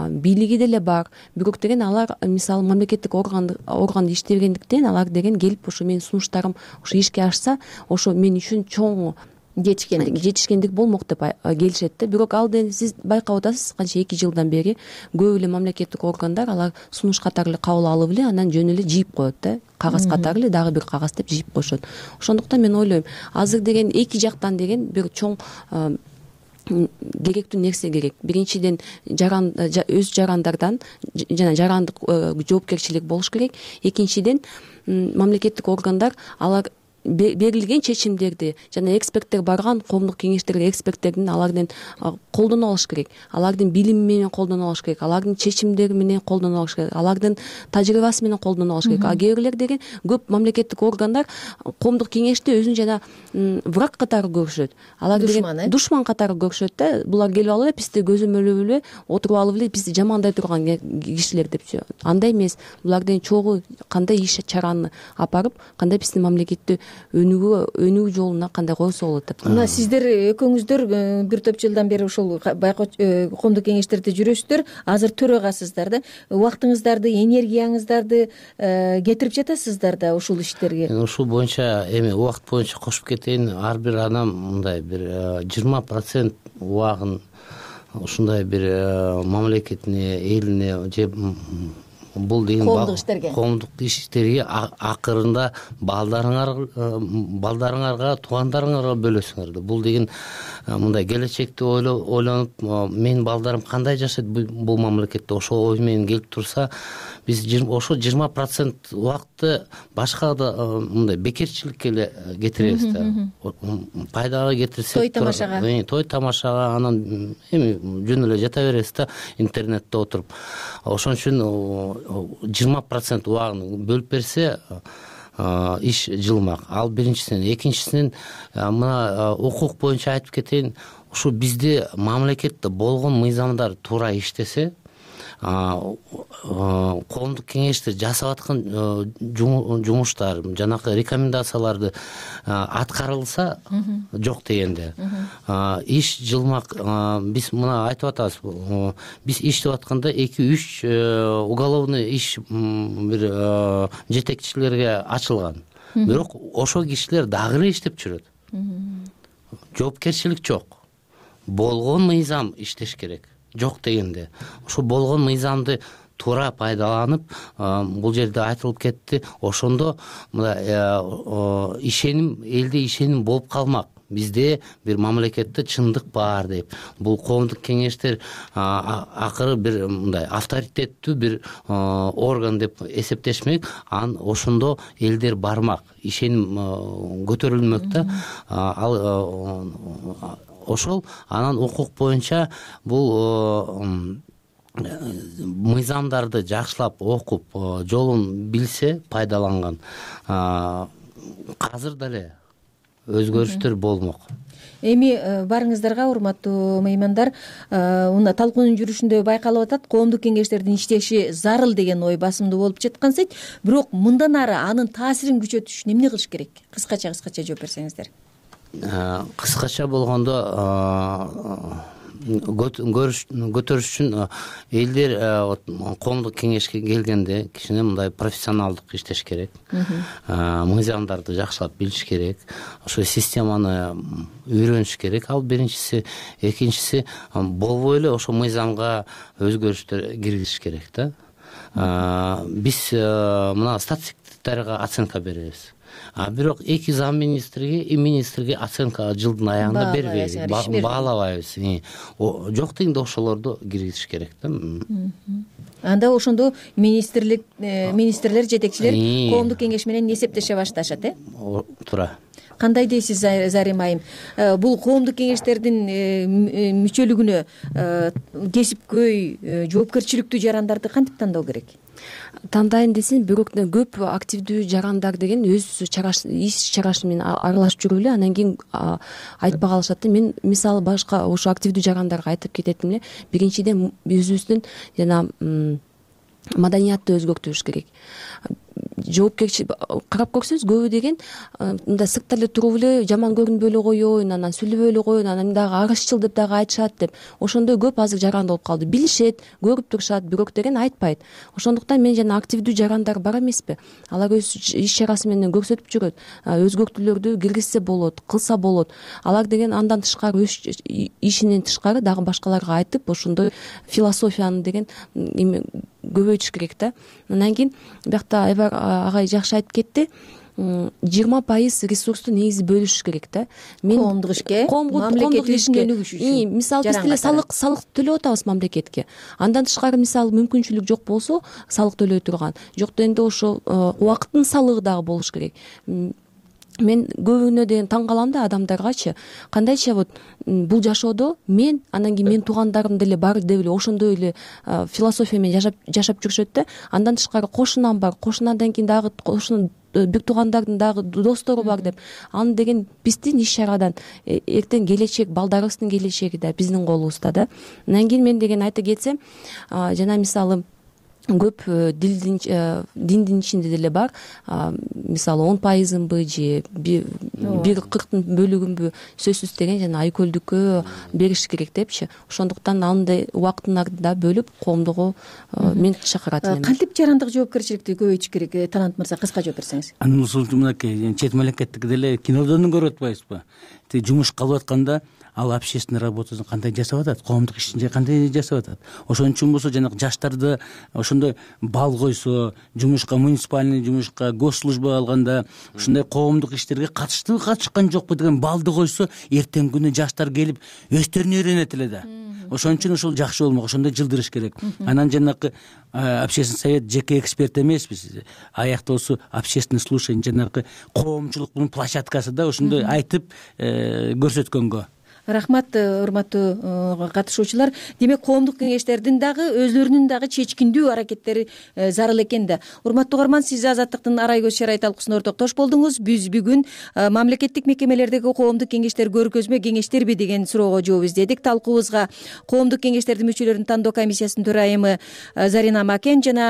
бийлиги деле бар. Бирок деген алар мисалы мамлекеттик орган органда иштегендиктен алар деген келип ошо менин сунуштарым ошо ишке ашса, ошо мен үчүн чоң жетишкендик жетишкендик болмок деп келишет да. Бирок ал деген сиз байкап атасыз, канча эки жылдан бери көп эле мамлекеттик органдар алар сунуш катары эле кабыл алып эле анан жөн эле жийип коет да. Кагаз катары эле дагы бир кагаз деп жийип коюшат. Ошондуктан мен ойлойм, азыр деген эки жактан деген бир чоң керектүү нерсе керек. Биринчиден жаран өз жарандардан жана жарандык жоопкерчилик болуш керек. Экинчиден мамлекеттик органдар алар берилген чечимдерди жана эксперттер барган коомдук кеңештерге эксперттердин алардын колдоно алыш керек, алардын билими менен колдоно алыш керек, алардын чечимдери менен колдоно алыш керек, алардын тажрыйбасы менен колдоно алыш керек. А кээ бирлер деген көп мамлекеттик органдар коомдук кеңешти өзүн жана враг катары көрүшөт, алар деген душман катары көрүшөт да. Булар келип алып эле бизди көзөмөлөп эле отуруп алып эле бизди жамандай турган кишилер депчи. Андай эмес. Булардын чогуу кандай иш чараны алып, кандай биздин мамлекетти өнүгүү өнүгүү жолуна кандай койсо болот деп. Мына сиздер экөөңүздөр бир топ жылдан бери ушул коомдук кеңештерде жүрөсүздөр, азыр төрагасыздар да. Убактыңыздарды, энергияңыздарды кетирип жатасыздар да ушул иштерге. Ушул боюнча эми убакыт боюнча кошуп кетейин. Ар бир адам мындай бир жыйырма процент убагын ушундай бир мамлекетине, элине же бул деген коомдук иштерге коомдук иштерге акырында балдарыңар балдарыңарга, туугандарыңарга бөлөсүңөр да. Бул деген мындай келечекти ойлонуп, менин балдарым кандай жашайт бул мамлекетте, ошол ой менен келип турса, биз ошо жыйырма процент убакытты башка да мындай бекерчиликке эле кетиребиз да. Пайдага кетирсек, той тамашага той тамашага анан эми жөн эле жата беребиз да интернетте отуруп. Ошон үчүн жыйырма процент убагын бөлүп берсе иш жылмак. Ал биринчисинен. Экинчисинен мына укук боюнча айтып кетейин. Ушу бизде мамлекетте болгон мыйзамдар туура иштесе, коомдук кеңештер жасап аткан жумуштар, жанакы рекомендацияларды аткарылса, жок дегенде иш жылмак. Биз мына айтып атабыз, биз иштеп атканда эки үч уголовный иш бир жетекчилерге ачылган. Бирок ошол кишилер дагы эле иштеп жүрөт. Жоопкерчилик жок. Болгон мыйзам иштеш керек. Жок дегенде, ошо болгон мыйзамды туура пайдаланып, бул жерде айтылып кетти, ошондо мына ишеним, элде ишеним болуп калмак. Бизде бир мамлекетте чындык бар деп. Бул коомдук кеңештер акыры бир мындай авторитеттүү бир орган деп эсептешмек, ан ошондо элдер бармак, ишеним көтөрүлмөк да. Ал ошол анан укук боюнча бул мыйзамдарды жакшылап окуп, жолун билсе, пайдаланган, азыр деле өзгөрүштөр болмок. Эми барыңыздарга, урматтуу меймандар, мына талкуунун жүрүшүндө байкалып атат, коомдук кеңештердин иштеши зарыл деген ой басымдуу болуп жаткансыйт. Бирок мындан ары анын таасирин күчөтүш эмне кылыш керек? Кыскача кыскача жооп берсеңиздер. Кыскача болгондо көтөрүш үчүн элдер коомдук кеңешке келгенде кичине мындай профессионалдык иштеш керек. Мыйзамдарды жакшылап билиш керек. Ошо системаны үйрөнүш керек. Ал биринчиси. Экинчиси, болбой эле ошо мыйзамга өзгөрүштөр киргизиш керек да. Биз мына статистиктерге оценка беребиз. А бирок эки зам министрге и министрге оценка жылдын аягында бербейбиз, баалабайбыз. Жок дегенде ошолорду киргизиш керек да. Анда ошондо министрлик, министрлер, жетекчилер коомдук кеңеш менен эсептеше башташат, э? Туура. Кандай дейсиз, Зарим айым? Бул коомдук кеңештердин мүчөлүгүнө кесипкөй, жоопкерчиликтүү жарандарды кантип тандоо керек? Тандайын десең, бирок көп активдүү жарандар деген өз иш чарашы менен аралашып жүрүп эле анан кийин айтпай калышат да. Мен мисалы башка ошо активдүү жарандарга айтып кететим эле. Биринчиден өзүбүздүн жана маданиятты өзгөртүш керек. Жоопкерчилик карап көрсөңүз, көбү деген мындай сыртта эле туруп эле жаман көрүнбөй эле коеюн, анан сүйлөбөй эле коеюн, анан дагы арызчыл деп дагы айтышат деп. Ошондой көп азыр жаран болуп калды. Билишет, көрүп турушат, бирок деген айтпайт. Ошондуктан мен жана активдүү жарандар бар эмеспи? Алар өз иш чарасы менен көрсөтүп жүрөт. Өзгөртүүлөрдү киргизсе болот, кылса болот. Алар деген андан тышкары өз ишинен тышкары дагы башкаларга айтып, ошондой философияны деген көбөйтүш керек да. Анан кийин биякта Айбар агай жакшы айтып кетти. жыйырма пайыз ресурсту негизи бөлүш керек да. Мен коомдук ишке, мамлекеттик ишке өнүгүш үчүн. Мисалы биз деле салык салык төлөп атабыз мамлекетке. Андан тышкары мисалы мүмкүнчүлүк жок болсо, салык төлөй турган. Жок дегенде ошо убакыттын салыгы дагы болуш керек. мен көбүнө деген таң калам да адамдаргачы кандайча вот бул жашоодо мен анан кийин менин туугандарым деле бар деп эле ошондой эле философия менен жашап жашап жүрүшөт да. Андан тышкары кошунам бар, кошунандан кийин дагы кошуна бир туугандардын дагы достору бар деп аны деген биздин иш чарадан эртең келечек балдарыбыздын келечеги да биздин колубузда да. Андан кийин мен деген айта кетсем жана мисалы көп дилдин диндин ичинде деле бар, мисалы он пайызынбы же бир кырктын бөлүгүнбү сөзсүз деген жана айкөлдүккө бериш керек депчи. Ошондуктан андай убактыңарды бөлүп коомдугу мен чакырат элем. Кантип жарандык жоопкерчиликти көбөйтүш керек? Талант мырза, кыска жооп берсеңиз. Анын ушул мынакей чет мамлекеттики деле кинодон көрүп атпайбызбы? Тиги жумуш кылып атканда ал общественный работасын кандай жасап атат, коомдук ишин кандай жасап атат. Ошон үчүн болсо жанагы жаштарды ошондой бал койсо, жумушка, муниципальный жумушка, госслужба алганда ушундай коомдук иштерге катыштыбы, катышкан жокпу деген балды койсо, эртеңки күнү жаштар келип өздөрүнө үйрөнөт эле да. Ошон үчүн ошол жакшы болмок, ошондой жылдырыш керек. Анан жанагы общественный совет жеке эксперт эмеспиз. Аякта болсо общественный слушание, жанагы коомчулуктун площадкасы да ошондой айтып көрсөткөнгө. Рахмат, урматтуу катышуучулар. Демек, коомдук кеңештердин дагы өзлөрүнүн дагы чечкиндүү аракеттери зарыл экен да. Урматтуу угарман, сиз Азаттыктын арай көз чарай талкуусуна ортоктош болдуңуз. Биз бүгүн мамлекеттик мекемелердеги коомдук кеңештер көргөзмө кеңештерби деген суроого жооп издедик. Талкуубузга коомдук кеңештердин мүчөлөрүн тандоо комиссиясынын төрайымы Зарина Макен жана